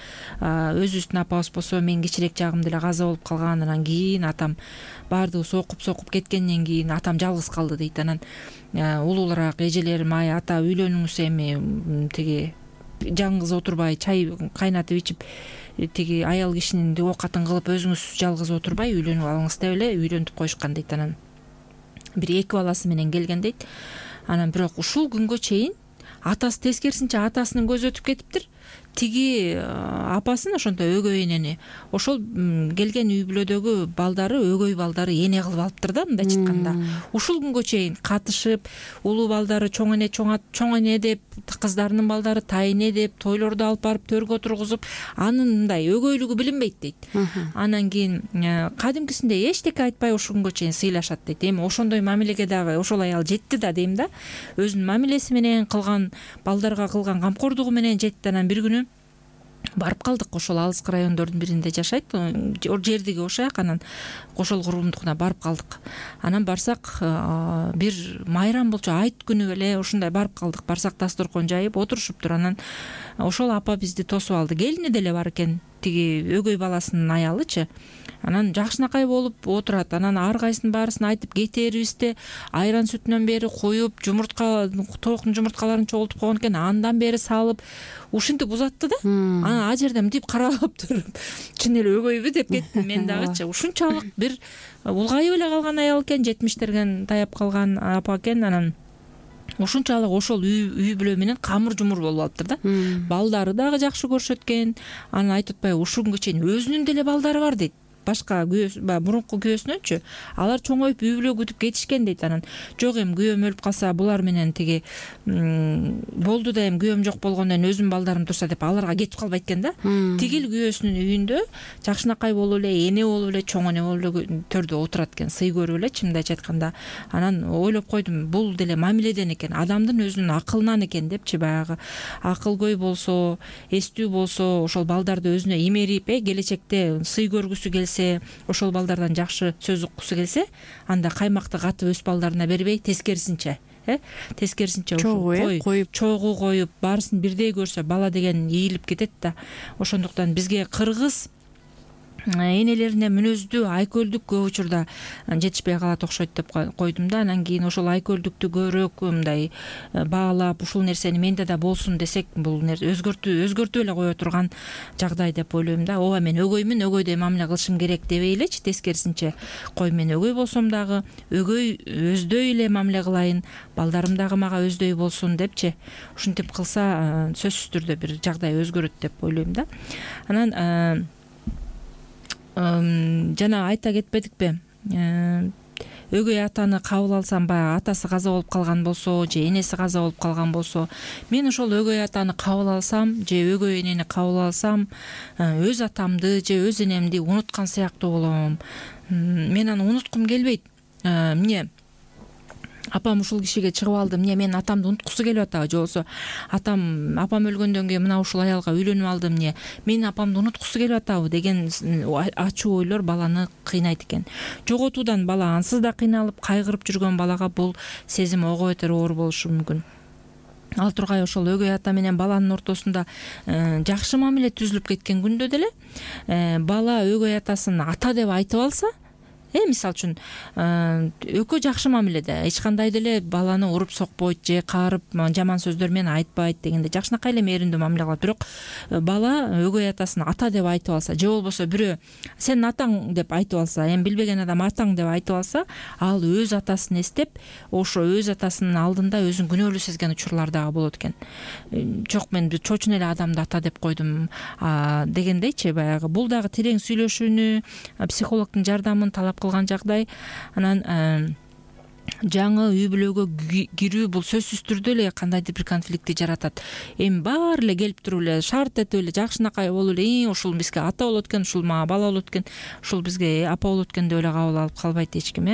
өзүбүздүн апабыз болсо мен кичирээк жагымда эле каза болуп калган, анан кийин атам баардыгы сокуп кеткенден кийин атам жалгыз калды дейт. Анан улуулараак эжелерим, ай ата үйлөнүңүз, эми тиги жаңгыз отурбай чай кайнатып ичип, тиги аял кишинин оокатын кылып өзүңүз жалгыз отурбай үйлөнүп алыңыз деп эле үйлөнтүп коюшкан дейт. Анан бир эки баласы менен келген дейт. Анан бирок ушул күнгө чейин атасы, тескерисинче атасынын көзү өтүп кетиптир. Тиги апасын, ошондой өгөй энени, ошол келген үй бүлөдөгү балдары, өгөй балдары эне кылып алыптыр да, мындайча айтканда. Ушул күнгө чейин катышып, улуу балдары чоң эне деп, кыздарынын балдары тайэне деп, тойлорду алып барып төргө отургузуп, анын мындай өгөйлүгү билинбейт дейт. Анан кийин кадимкисинде эчтеке айтпай ушул күнгө чейин сыйлашат дейт. Эми ошондой мамилеге дагы ошол аял жетти да дейм да. Өзүнүн мамилеси менен кылган, балдарга кылган камкордугу менен жетти. Анан бир күнү барып калдык, ошол алыскы райондордун биринде жашайт, жердиги ошояк. Анан ошол курбумдукуна барып калдык. Анан барсак, бир майрам болчу, айт күнү эле ушундай барып калдык. Барсак, дасторкон жайып отурушуптур. Анан ошол апа бизди тосуп алды. Келини деле бар экен. тиги өгөй баласынын аялычы анан жакшынакай болуп отурат. Анан ар кайсынын баарысын айтып кетерибизде айран сүтүнөн бери куюп, тооктун жумурткаларын чогултуп койгон экен, андан бери салып ушинтип узатты да. Анан ал жерде мынтип карап туруп чын эле өгөйбү деп кеттим мен дагычы. Ушунчалык бир улгайып эле калган аял экен, 70-терге таяп калган апа экен. Анан ушунчалык ошол үй бүлө менен камыр жумур болуп алыптыр да. Балдары дагы жакшы көрүшөт экен. Анан айтып атпайбы, ушунгө чейин өзүнүн деле балдары бар дейт. Башка мурунку күйөөсүнөнчү алар чоңоюп үй бүлө күтүп кетишкен дейт. Анан жок эми күйөөм өлүп калса булар менен тиги болду да эми күйөөм жок болгондон кийин өзүмдүн балдарым турса деп аларга кетип калбайт экен да. Тигил күйөөсүнүн үйүндө жакшынакай болуп эле, эне болуп эле, чоң эне болуп эле төрдө отурат экен, сый көрүп эле, чынымды айтканда. Анан ойлоп койдум, бул деле мамиледен экен, адамдын өзүнүн акылынан экен депчи. Баягы акылгөй болсо, эстүү болсо, ошол балдарды өзүнө имерип, келечекте сый көргүсү келсе, ошол балдардан жакшы сөз уккусу келсе, анда каймакты катып өз балдарына бербей, тескерисинче коюп, чогуу коюп, баарысын бирдей көрсө, бала деген ийилип кетет да. Ошондуктан бизге кыргыз энелерине мүнөздүү айкөлдүк көп учурда жетишпей калат окшойт деп койдум да. Анан кийин ошол айкөлдүктү көрөөк мындай баалап, ушул нерсени менде да болсун десек, бул өзгөртүп эле кое турган жагдай деп ойлойм да. Ооба, мен өгөймүн, өгөйдөй мамиле кылышым керек дебей элечи, тескерисинче, кой мен өгөй болсом дагы өгөй өздөй эле мамиле кылайын, балдарым дагы мага өздөй болсун депчи. Ушинтип кылса сөзсүз түрдө бир жагдай өзгөрөт деп ойлойм да. Анан жана айта кетпедикпи, өгөй атаны кабыл алсам, баягы атасы каза болуп калган болсо же энеси каза болуп калган болсо, мен ошол өгөй атаны кабыл алсам же өгөй энени кабыл алсам, өз атамды же өз энемди унуткан сыяктуу болом. Мен аны унуткум келбейт. Эмне апам ушул кишиге чыгып алды, эмне мен атамды унуткусу келип атабы, же болбосо апам өлгөндөн кийин мына ушул аялга үйлөнүп алдым, эмне мен апамды унуткусу келип атабы деген ачуу ойлор баланы кыйнайт экен. Жоготуудан бала ансыз да кыйналып, кайгырып жүргөн балага бул сезим ого бетер оор болушу мүмкүн. Ал тургай ошол өгөй ата менен баланын ортосунда жакшы мамиле түзүлүп кеткен күндө деле бала өгөй атасын ата деп айтып алса, мисалы үчүн экөө жакшы мамиледе, эч кандай деле баланы уруп сокпойт же каарып жаман сөздөр менен айтпайт дегенде жакшынакай эле мээримдүү мамиле кылат. Бирок бала өгөй атасын ата деп айтып алса, же болбосо бирөө сенин атаң деп айтып алса, эми билбеген адам атаң деп айтып алса, ал өз атасын эстеп, ошо өз атасынын алдында өзүн күнөөлүү сезген учурлар дагы болот экен. Жок, мен чочун эле адамды ата деп койдум дегендейчи, баягы бул дагы терең сүйлөшүүнү, психологдун жардамын талап кылган жагдай. Анан жаңы үй бүлөгө кирүү бул сөзсүз түрдө эле кандайдыр бир конфликтти жаратат. Эми баары эле келип туруп эле шарт этип эле жакшынакай болуп эле, ушул бизге ата болот экен, ушул мага бала болот экен, ушул бизге апа болот экен деп эле кабыл алып калбайт эч ким.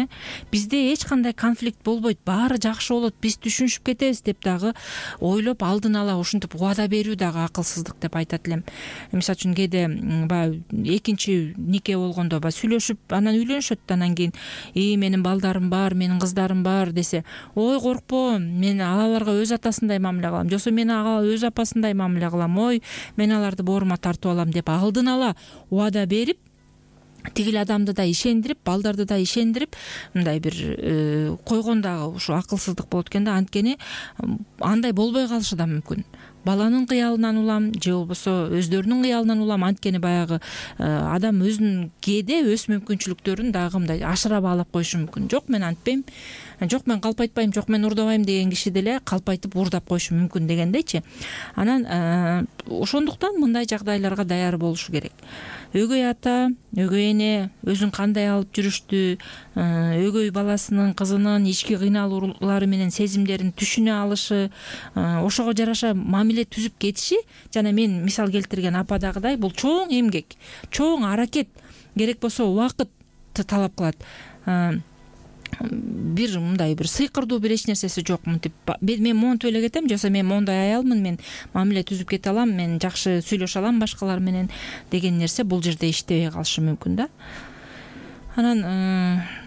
Бизде эч кандай конфликт болбойт, баары жакшы болот, биз түшүнүшүп кетебиз деп дагы ойлоп алдын ала ушинтип убада берүү дагы акылсыздык деп айтат элем. Мисалы үчүн кээде баягы экинчи нике болгондо баягы сүйлөшүп анан үйлөнүшөт, анан кийин менин балдарым бар, менин кыздарым бар десе, ой коркпо, мен аларга өз атасындай мамиле кылам, же болбосо мен ага өз апасындай мамиле кылам, ой мен аларды боорума тартып алам деп алдын ала убада берип, тигил адамды да ишендирип, балдарды да ишендирип, мындай бир койгон дагы ушу акылсыздык болот экен да. Анткени андай болбой калышы да мүмкүн. Баланын кыялынан улам, же болбосо өздөрүнүн кыялынан улам. Анткени баягы адам өзүнүн кээде өз мүмкүнчүлүктөрүн дагы мындай ашыра баалап коюшу мүмкүн. Жок, мен антпейм, жок мен калпайтпайм, жок мен урдабайм деген киши деле калпайтып урдап коюшу мүмкүн дегендейчи. Анан ошондуктан мындай жагдайларга даяр болушу керек. Өгөй ата, өгөй эне өзүн кандай алып жүрүштү, өгөй баласынын, кызынын ички кыйналуулары менен сезимдерин түшүнө алышы, ошого жараша мамиле түзүп кетиши, жана мен мисал келтирген ападагыдай бул чоң эмгек, чоң аракет, керек болсо убакыт талап кылат. Бир мындай бир сыйкырдуу бир эч нерсеси жок. Мынтип мен монтип эле кетем, же болбосо мен мондай аялмын, мен мамиле түзүп кете алам, мен жакшы сүйлөшө алам башкалар менен деген нерсе бул жерде иштебей калышы мүмкүн да. Анан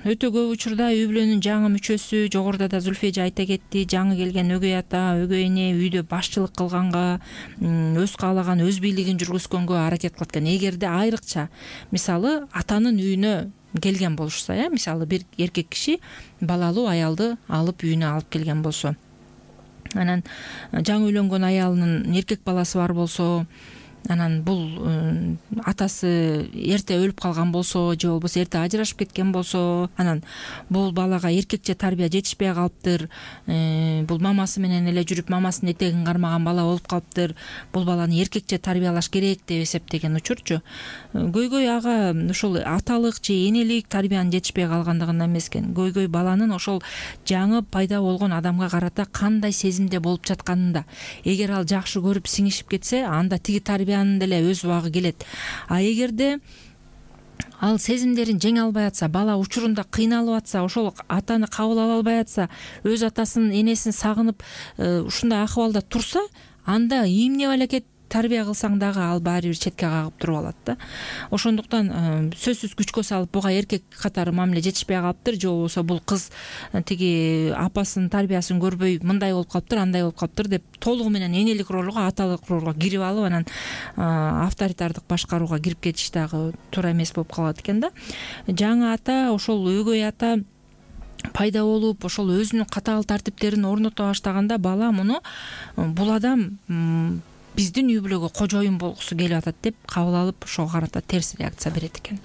өтө көп учурда үй бүлөнүн жаңы мүчөсү, жогоруда да Зульфия эже айта кетти, жаңы келген өгөй ата, өгөй эне үйдө башчылык кылганга, өз каалаган өз бийлигин жүргүзгөнгө аракет кылат экен. Эгерде айрыкча мисалы атанын үйүнө келген болушса, мисалы бир эркек киши балалуу аялды алып үйүнө алып келген болсо, анан жаңы үйлөнгөн аялынын эркек баласы бар болсо, анан бул атасы эрте өлүп калган болсо же болбосо эрте ажырашып кеткен болсо, анан бул балага эркекче тарбия жетишпей калыптыр, бул мамасы менен эле жүрүп мамасынын этегин кармаган бала болуп калыптыр, бул баланы эркекче тарбиялаш керек деп эсептеген учурчу көйгөй ага ошол аталык же энелик тарбиянын жетишпей калгандыгында эмес экен. Көйгөй баланын ошол жаңы пайда болгон адамга карата кандай сезимде болуп жатканында. Эгер ал жакшы көрүп сиңишип кетсе, анда тиги тарбия деле өз убагы келет. А эгерде ал сезимдерин жеңе албай атса, бала учурунда кыйналып атса, ошол атаны кабыл ала албай атса, өз атасын энесин сагынып ушундай акыбалда турса, анда эмне балекет тарбия кылсаң дагы ал баары бир четке кагып туруп алат да. Ошондуктан сөзсүз күчкө салып буга эркек катары мамиле жетишпей калыптыр, же болбосо бул кыз тиги апасынын тарбиясын көрбөй мындай болуп калыптыр, андай болуп калыптыр деп толугу менен энелик ролго, аталык ролго кирип алып, анан авторитардык башкарууга кирип кетиш дагы туура эмес болуп калат экен да. Жаңы ата, ошол өгөй ата пайда болуп, ошол өзүнүн катаал тартиптерин орното баштаганда бала муну бул адам биздин үй бүлөгө кожоюн болгусу келип атат деп кабыл алып, ошого карата терс реакция берет экен.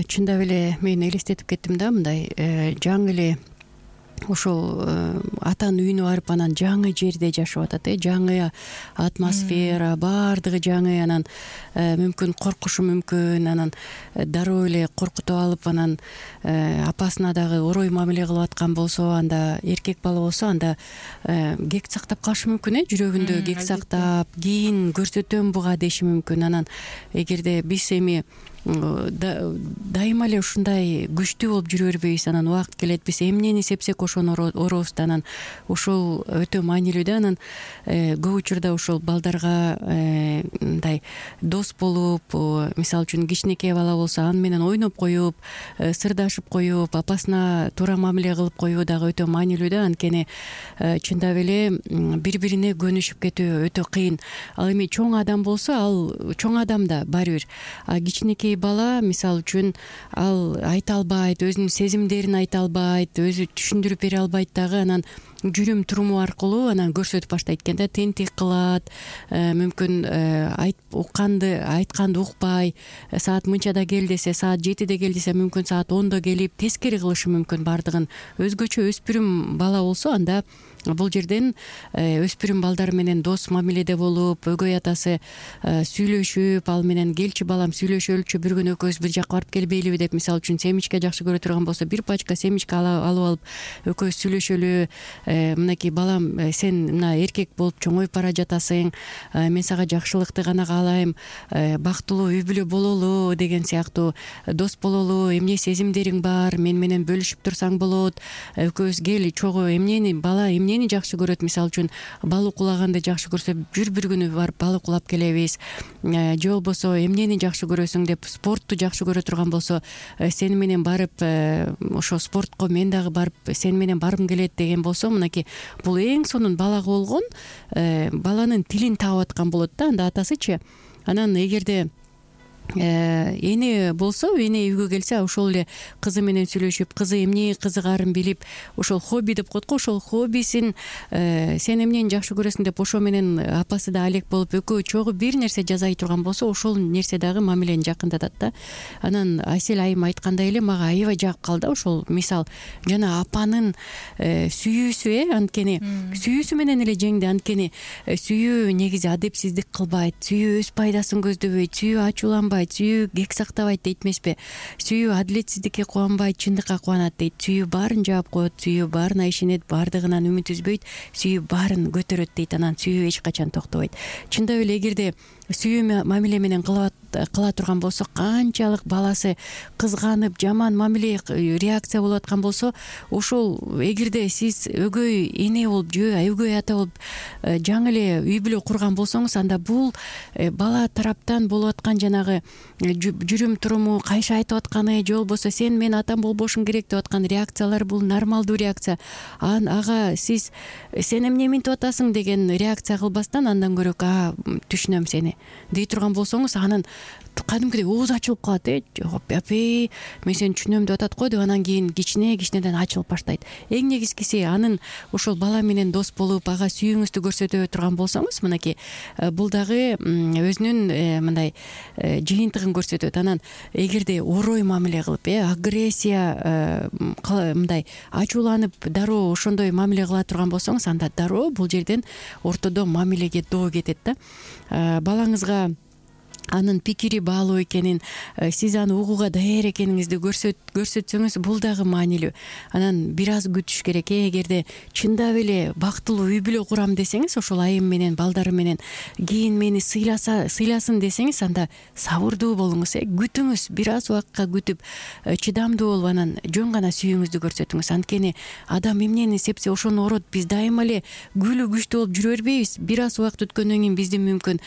Чындап эле мен элестетип кеттим да, мындай жаңы эле ошол атанын үйүнө барып, анан жаңы жерде жашап атат, жаңы атмосфера, баардыгы жаңы, анан мүмкүн коркушу мүмкүн, анан дароо эле коркутуп алып, анан апасына дагы орой мамиле кылып аткан болсо, анда эркек бала болсо, анда кек сактап калышы мүмкүн, жүрөгүндө кек сактап, кийин көрсөтөм буга деши мүмкүн. Анан эгерде биз эми дайыма эле ушундай күчтүү болуп жүрө бербейбиз, анан убакыт келет биз эмнени сепсек ошону орообуз да, анан ушул өтө маанилүү да. Анан көп учурда ушул балдарга мындай дос болуп, мисалы үчүн кичинекей бала болсо аны менен ойноп коюп, сырдашып коюп, апасына туура мамиле кылып коюу дагы өтө маанилүү да. Анткени чындап эле бири бирине көнүшүп кетүү өтө кыйын. Ал эми чоң адам болсо, ал чоң адам да баары бир, а кичинекей бала мисалы үчүн ал айта албайт, өзүнүн сезимдерин айта албайт, өзү түшүндүрүп бере албайт дагы, анан жүрүм туруму аркылуу анан көрсөтүп баштайт экен да, тентек кылат, мүмкүн айтканды укпай, саат мынчада кел десе, саат 7-де кел десе, мүмкүн саат 10-до келип тескери кылышы мүмкүн баардыгын. Өзгөчө өспүрүм бала болсо, анда бул жерден өспүрүм балдар менен дос мамиледе болуп, өгөй атасы сүйлөшүп, ал менен келчи балам сүйлөшөлүчү, бир күнү экөөбүз бир жака барып келбейлиби деп, мисалы үчүн семечке жакшы көрө турган болсо, бир пачка семечке алып алып экөөбүз сүйлөшөлү, мынакей балам, сен мына эркек болуп чоңоюп бара жатасың, мен сага жакшылыкты гана каалайм, бактылуу үй бүлө бололу деген сыяктуу, дос бололу, эмне сезимдериң бар, мен менен бөлүшүп турсаң болот, экөөбүз кел чогуу, эмнени бала эмнени жакшы көрөт, мисалы үчүн бал укулаганды жакшы көрсө, бир күнү барып бал укулап келебиз, же болбосо эмнени жакшы көрөсүң деп, спортту жакшы көрө турган болсо, сени менен барып ошо спортко мен дагы барып сени менен баргым келет деген болсо, мынакей бул эң сонун балага болгон баланын тилин таап аткан болот да. Анда атасычы, анан эгерде эне болсо, эне үйгө келсе, ошол эле кызы менен сүйлөшүп, кызы эмне кызыгарын билип, ошол хобби деп коет го, ошол хоббисин сен эмнени жакшы көрөсүң деп, ошо менен апасы да алек болуп, экөө чогуу бир нерсе жасай турган болсо, ошол нерсе дагы мамилени жакындатат да. Анан Асель айым айткандай эле мага аябай жагып калды ошол мисал, жана апанын сүйүүсү, анткени сүйүүсү менен эле жеңди. Анткени сүйүү негизи адепсиздик кылбайт, сүйүү өз пайдасын көздөбөйт, сүйүү ачууланбайт, сүйүү кек сактабайт дейт эмеспи, сүйүү адилетсиздикке кубанбайт, чындыкка кубанат дейт. Сүйүү баарын жаап коет, сүйүү баарына ишенет, баардыгынан үмүт үзбөйт, сүйүү баарын көтөрөт дейт. Анан сүйүү эч качан токтобойт. Чындап эле эгерде сүйүү мамиле менен кыла турган болсо, канчалык баласы кызганып жаман мамиле реакция болуп аткан болсо, ошол эгерде сиз өгөй эне болуп же өгөй ата болуп жаңы эле үй бүлө курган болсоңуз, анда бул бала тараптан болуп аткан жанагы жүрүм туруму, кайша айтып атканы же болбосо сен менин атам болбошуң керек деп аткан реакциялар бул нормалдуу реакция. Ага сиз сен эмне минтип атасың деген реакция кылбастан, андан көрө түшүнөм сени дей турган болсоңуз, анын кадимкидей оозу ачылып калат. Апей, мен сени түшүнөм деп атат го деп, анан кийин кичинеден ачылып баштайт. Эң негизгиси анын ошол бала менен дос болуп, ага сүйүүңүздү көрсөтө турган болсоңуз, мынакей бул дагы өзүнүн мындай жыйынтыгын көрсөтөт. Анан эгерде орой мамиле кылып, агрессия мындай ачууланып дароо ошондой мамиле кыла турган болсоңуз, анда дароо бул жерден ортодо мамилеге доо кетет да. Балаңызга анын пикири баалуу экенин, сиз аны угууга даяр экениңизди көрсөтсөңүз, бул дагы маанилүү. Анан бир аз күтүш керек. Эгерде чындап эле бактылуу үй бүлө курам десеңиз, ошол айым менен, балдары менен кийин мени сыйласын десеңиз, анда сабырдуу болуңуз, күтүңүз, бир аз убакытка күтүп, чыдамдуу болуп, анан жөн гана сүйүүңүздү көрсөтүңүз. Анткени адам эмнени сепсе ошону орот. Биз дайыма эле күлүү күчтүү болуп жүрө бербейбиз. Бир аз убакыт өткөндөн кийин биздин мүмкүн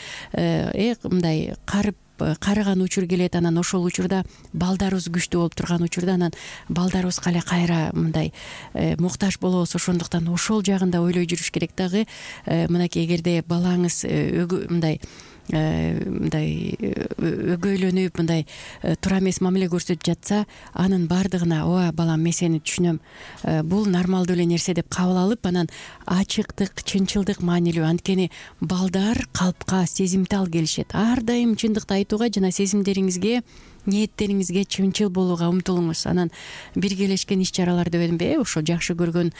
мындай карыган учур келет. Анан ошол учурда балдарыбыз күчтүү болуп турган учурда, анан балдарыбызга эле кайра мындай муктаж болобуз. Ошондуктан ошол жагын да ойлой жүрүш керек дагы. Мынакей эгерде балаңыз мындай өгөйлөнүп, мындай туура эмес мамиле көрсөтүп жатса, анын баардыгына ооба балам, мен сени түшүнөм, бул нормалдуу эле нерсе деп кабыл алып, анан ачыктык, чынчылдык маанилүү. Анткени балдар калпка сезимтал келишет. Ар дайым чындыкты айтууга жана сезимдериңизге, ниеттериңизге чынчыл болууга умтулуңуз. Анан биргелешкен иш чаралар деп едимби, ошо жакшы көргөн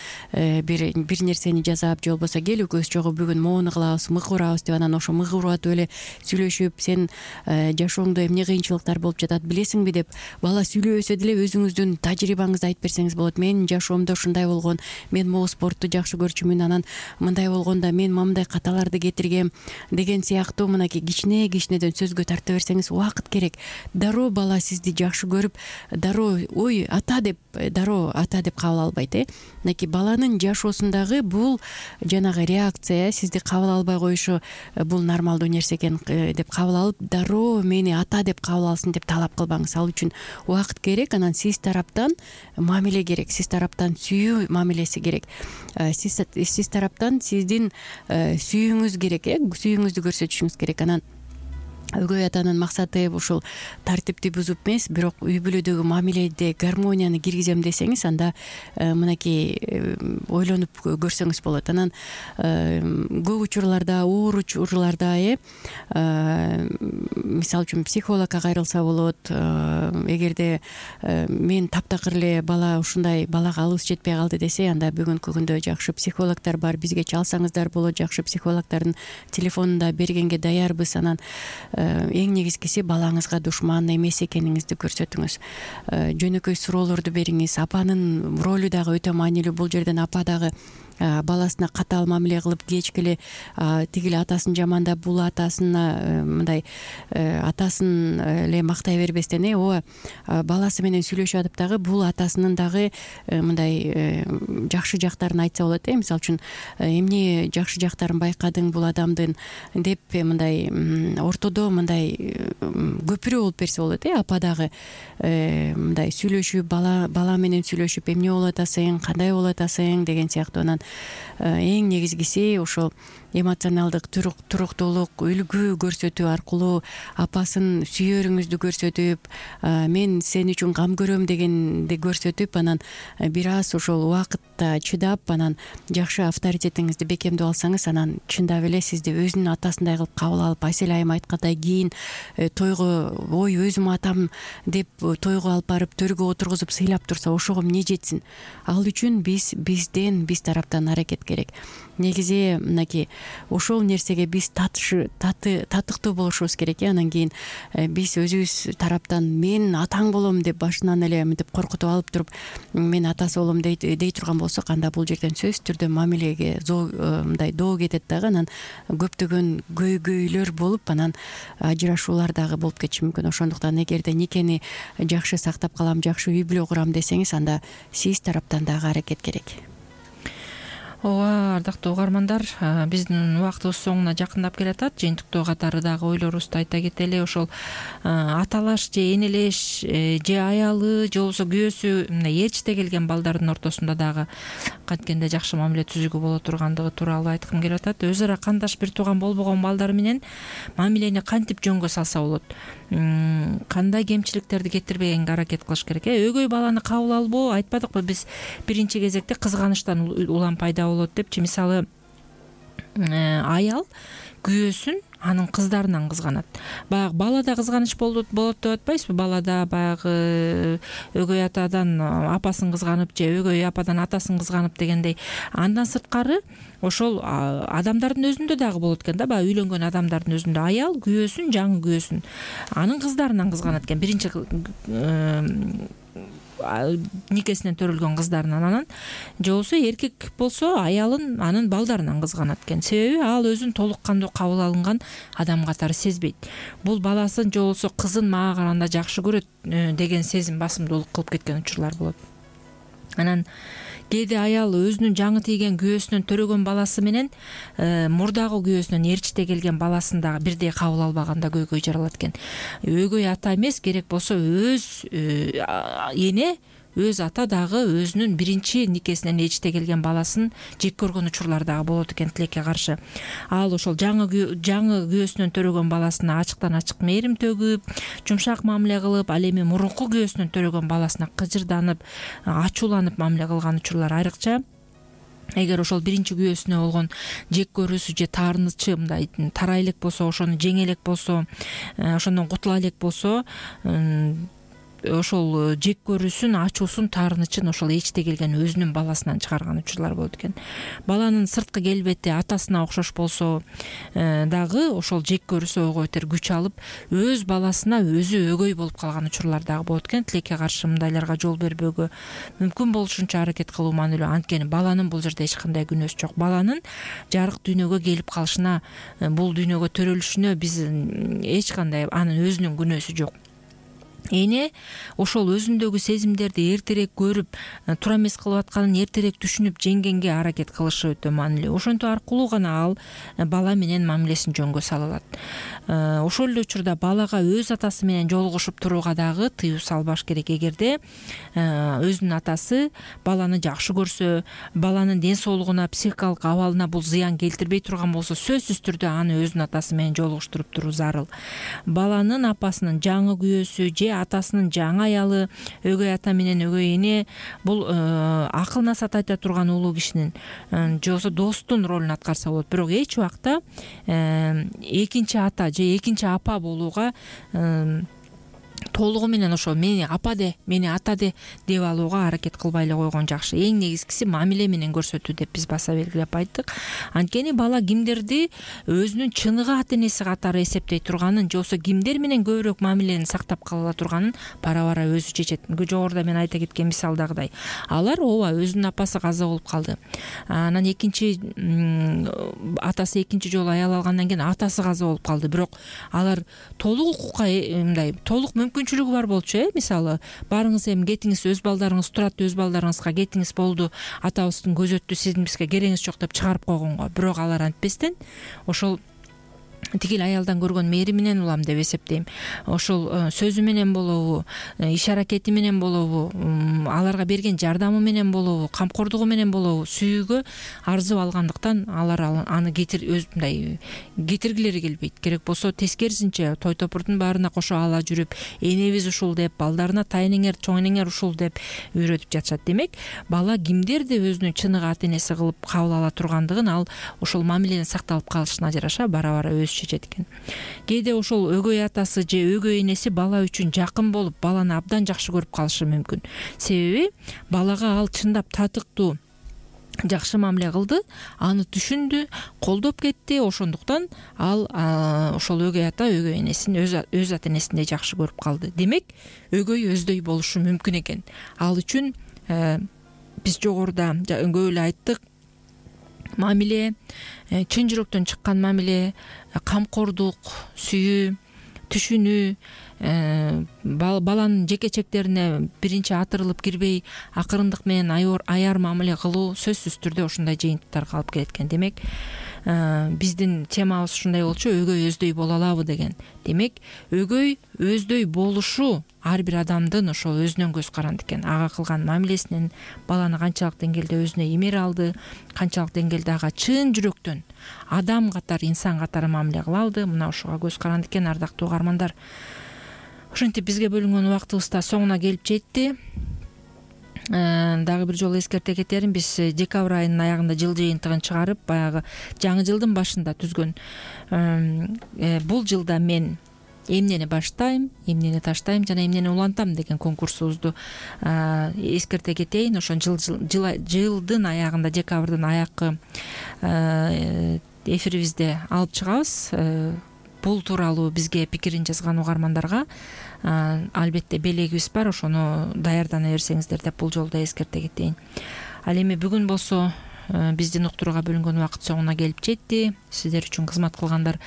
бир нерсени жасап, же болбосо кел экөөбүз чогуу бүгүн могуну кылабыз, мык урабыз деп, анан ошо мык уруп атып эле сүйлөшүп, сен жашооңдо эмне кыйынчылыктар болуп жатат билесиңби деп, бала сүйлөбөсө деле өзүңүздүн тажрыйбаңызды айтып берсеңиз болот. Менин жашоомдо ушундай болгон, мен могу спортту жакшы көрчүмүн, анан мындай болгондо мен мындай каталарды кетиргем деген сыяктуу мынакей кичинеден сөзгө тарта берсеңиз, убакыт керек. Дароо бала сизди жакшы көрүп, дароо ой ата деп кабыл албайт. Мынакей баланын жашоосундагы бул жанагы реакция, сизди кабыл албай коюшу, бул нормалдуу нерсе экен деп кабыл алып, дароо мени ата деп кабыл алсын деп талап кылбаңыз. Ал үчүн убакыт керек. Анан сиз тараптан мамиле керек, сиз тараптан сүйүү мамилеси керек, сиз тараптан сиздин сүйүүңүз керек, сүйүүңүздү көрсөтүшүңүз керек. Анан өгөй атанын максаты ушул тартипти бузуп эмес, бирок үй бүлөдөгү мамиледе гармонияны киргизем десеңиз, анда мынакей ойлонуп көрсөңүз болот. Анан көп учурларда, оор учурларда мисалы үчүн психологко кайрылса болот. Эгерде мен таптакыр эле бала ушундай балага алыбыз жетпей калды десе, анда бүгүнкү күндө жакшы психологдор бар, бизге чалсаңыздар болот, жакшы психологдордун телефонун да бергенге даярбыз. Анан эң негизгиси балаңызга душман эмес экениңизди көрсөтүңүз. Жөнөкөй суроолорду бериңиз. Апанын ролу дагы өтө маанилүү. Бул жерден апа дагы баласына катаал мамиле кылып, кечкеле тигил атасын жамандап, бул атасына мындай атасын эле мактай бербестен, ооба баласы менен сүйлөшүп атып дагы бул атасынын дагы мындай жакшы жактарын айтса болот. Мисалы үчүн эмне жакшы жактарын байкадың бул адамдын деп, мындай ортодо мындай көпүрө болуп берсе болот. Апа дагы мындай сүйлөшүп, бала менен сүйлөшүп, эмне болуп атасың, кандай болуп атасың деген сыяктуу. Анан эң негизгиси ошол эмоционалдык туруктуулук, үлгү көрсөтүү аркылуу апасын сүйөрүңүздү көрсөтүп, мен сен үчүн кам көрөм дегенди көрсөтүп, анан бир аз ошол убакытта чыдап, анан жакшы авторитетиңизди бекемдеп алсаңыз, анан чындап эле сизди өзүнүн атасындай кылып кабыл алып, Асель айым айткандай, кийин тойго ой өзүм атам деп тойго алып барып төргө отургузуп сыйлап турса, ошого эмне жетсин? Ал үчүн биз тараптан аракет керек. негизи мынакей ошол нерсеге биз татыктуу болушубуз керек. Анан кийин биз өзүбүз тараптан мен атаң болом деп башынан эле мынтип коркутуп алып туруп мен атасы болом дей турган болсок, анда бул жерден сөзсүз түрдө мамилеге мындай доо кетет дагы. Анан көптөгөн көйгөйлөр болуп, анан ажырашуулар дагы болуп кетиши мүмкүн. Ошондуктан эгерде никени жакшы сактап калам, жакшы үй бүлө курам десеңиз, анда сиз тараптан дагы аракет керек. Ооба, ардактуу угармандар, биздин убактыбыз соңуна жакындап келатат. Жыйынтыктоо катары дагы ойлорубузду айта кетели. Ошол аталаш же энелеш же аялы же болбосо күйөөсү ээрчите келген балдардын ортосунда дагы канткенде жакшы мамиле түзүүгө боло тургандыгы тууралуу айткым келип атат. Өз ара кандаш бир тууган болбогон балдар менен мамилени кантип жөнгө салса болот, кандай кемчиликтерди кетирбегенге аракет кылыш керек. Өгөй баланы кабыл албоо, айтпадыкпы биз биринчи кезекте кызганычтан улам пайда болот депчи. Мисалы, аял күйөөсүн анын кыздарынан кызганат. Баягы балада кызганыч болот деп атпайсызбы? Балада баягы өгөй атадан апасын кызганып же өгөй ападан атасын кызганып дегендей. Андан сырткары ошол адамдардын өзүндө дагы болот экен да, баягы үйлөнгөн адамдардын өзүндө аял күйөөсүн, жаңы күйөөсүн анын кыздарынан кызганат экен. Биринчи никесинен төрөлгөн кыздарынан, анан же болбосо эркек болсо аялын анын балдарынан кызганат экен. Себеби ал өзүн толук кандуу кабыл алынган адам катары сезбейт. Бул баласын же болбосо кызын мага караганда жакшы көрөт деген сезим басымдуулук кылып кеткен учурлар болот. Анан кээде аял өзүнүн жаңы тийген күйөөсүнөн төрөгөн баласы менен мурдагы күйөөсүнөн ээрчите келген баласын дагы бирдей кабыл албаганда көйгөй жаралат экен. Өгөй ата эмес, керек болсо өз эне, өз ата дагы өзүнүн биринчи никесинен ээрчите келген баласын жек көргөн учурлар дагы болот экен тилекке каршы. Ал ошол жаңы күйөөсүнөн төрөгөн баласына ачыктан ачык мээрим төгүп, жумшак мамиле кылып, ал эми мурунку күйөөсүнөн төрөгөн баласына кыжырданып, ачууланып мамиле кылган учурлар айрыкча. Эгер ошол биринчи күйөөсүнө болгон жек көрүүсү же таарынычы мындай тарай элек болсо, ошону жеңе элек болсо, ошондон кутула элек болсо, ошол жек көрүүсүн, ачуусун, таарынычын ошол ээрчите келген өзүнүн баласынан чыгарган учурлар болот экен. Баланын сырткы келбети атасына окшош болсо дагы ошол жек көрүүсү ойго өтөр күч алып, өз баласына өзү өгөй болуп калган учурлар дагы болот экен. Тилекке каршы мындайларга жол бербөөгө мүмкүн болушунча аракет кылуу маанилүү. Анткени баланын бул жерде эч кандай күнөөсү жок. Баланын жарык дүйнөгө келип калышына, бул дүйнөгө төрөлүшүнө биз эч кандай анын өзүнүн күнөөсү жок. Эне ошол өзүндөгү сезимдерди эртерээк көрүп, туура эмес кылып атканын эртерээк түшүнүп жеңгенге аракет кылышы өтө маанилүү. Ошентип аркылуу гана ал бала менен мамилесин жөнгө сала алат. Ошол эле учурда балага өз атасы менен жолугушуп турууга дагы тыюу салбаш керек. Эгерде өзүнүн атасы баланы жакшы көрсө, баланын ден соолугуна, психикалык абалына бул зыян келтирбей турган болсо, сөзсүз түрдө аны өзүнүн атасы менен жолугуштуруп туруу зарыл. Баланын апасынын жаңы күйөөсү же атасынын жаңы аялы, өгөй ата менен өгөй эне бул акыл насаат айта турган улуу кишинин же болбосо достун ролун аткарса болот. Бирок эч убакта экинчи ата же экинчи апа болууга толугу менен ошо мени апа де, мени ата де деп алууга аракет кылбай эле койгон жакшы. Эң негизгиси мамиле менен көрсөтүү деп биз баса белгилеп айттык. Анткени бала кимдерди өзүнүн чыныгы ата энеси катары эсептей турганын же болбосо кимдер менен көбүрөөк мамилени сактап кала турганын бара-бара өзү чечет. Жогоруда мен айта кеткен мисалдагыдай. Алар ооба өзүнүн апасы каза болуп калды. Анан атасы экинчи жолу аял алгандан кийин атасы каза болуп калды. Бирок алар толук укукка мындай толук мүмкүнчүлүгү бар болчу. Мисалы, барыңыз эми кетиңиз, өз балдарыңыз турат, өз балдарыңызга кетиңиз, болду, атабыздын көзү өттү, сиздин бизге керегиңиз жок деп чыгарып койгонго. Бирок алар антпестен ошол тигил аялдан көргөн мээрим менен улам деп эсептейм. Ошол сөзү менен болобу, иш аракети менен болобу, аларга берген жардамы менен болобу, камкордугу менен болобу, сүйүүгө арзып алгандыктан алар аны мындай кетиргилери келбейт. Керек болсо тескерисинче той топурдун баарына кошо ала жүрүп, энебиз ушул деп, балдарына тайнеңер, чоң энеңер ушул деп үйрөтүп жатышат. Демек, бала кимдерди өзүнүн чыныгы ата энеси кылып кабыл ала тургандыгын ал ошол мамиленин сакталып калышына жараша бара-бара өзү чечет экен. Кээде ошол өгөй атасы же өгөй энеси бала үчүн жакын болуп, баланы абдан жакшы көрүп калышы мүмкүн. Себеби балага ал чындап татыктуу жакшы мамиле кылды, аны түшүндү, колдоп кетти. Ошондуктан ал ошол өгөй ата өгөй энесин өз ата энесиндей жакшы көрүп калды. Демек, өгөй өздөй болушу мүмкүн экен. Ал үчүн биз жогоруда көп эле айттык, мамиле, чын жүрөктөн чыккан мамиле, камкордук, сүйүү, түшүнүү, баланын жекечектерине биринчи атырылып кирбей, акырындык менен аяр мамиле кылуу сөзсүз түрдө ушундай жыйынтыктарга алып келет экен. Демек, биздин темабыз ушундай болчу: өгөй өздөй боло алабы деген. Демек, өгөй өздөй болушу ар бир адамдын ошол өзүнөн көз каранды экен. Ага кылган мамилесинен баланы канчалык деңгээлде өзүнө эмер алды, канчалык деңгээлде ага чын жүрөктөн адам катары, инсан катары мамиле кыла алды, мына ушуга көз каранды экен, ардактуу угармандар. Ошентип бизге бөлүнгөн убактыбыз да соңуна келип жетти. Дагы бир жолу эскерте кетерим, биз декабрь айынын аягында жыл жыйынтыгын чыгарып, баягы жаңы жылдын башында түзгөн бул жылда мен эмнени баштайм, эмнени таштайм жана эмнени улантам деген конкурсубузду эскерте кетейин. Ошон жылдын аягында, декабрдын аякы эфирибизде алып чыгабыз. Бул тууралуу бизге пикирин жазган угармандарга албетте белегибиз бар, ошону даярдана берсеңиздер деп бул жолу да эскерте кетейин. Ал эми бүгүн болсо биздин уктурууга бөлүнгөн убакыт соңуна келип жетти. Сиздер үчүн кызмат кылгандар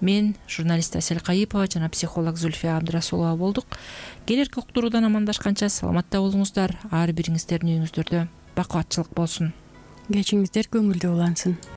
мен, журналист Асель Кайыпова жана психолог Зульфия Абдрасулова болдук. Келерки уктуруудан амандашканча саламатта болуңуздар. Ар бириңиздердин үйүңүздөрдө бакубатчылык болсун. Кечиңиздер көңүлдүү улансын.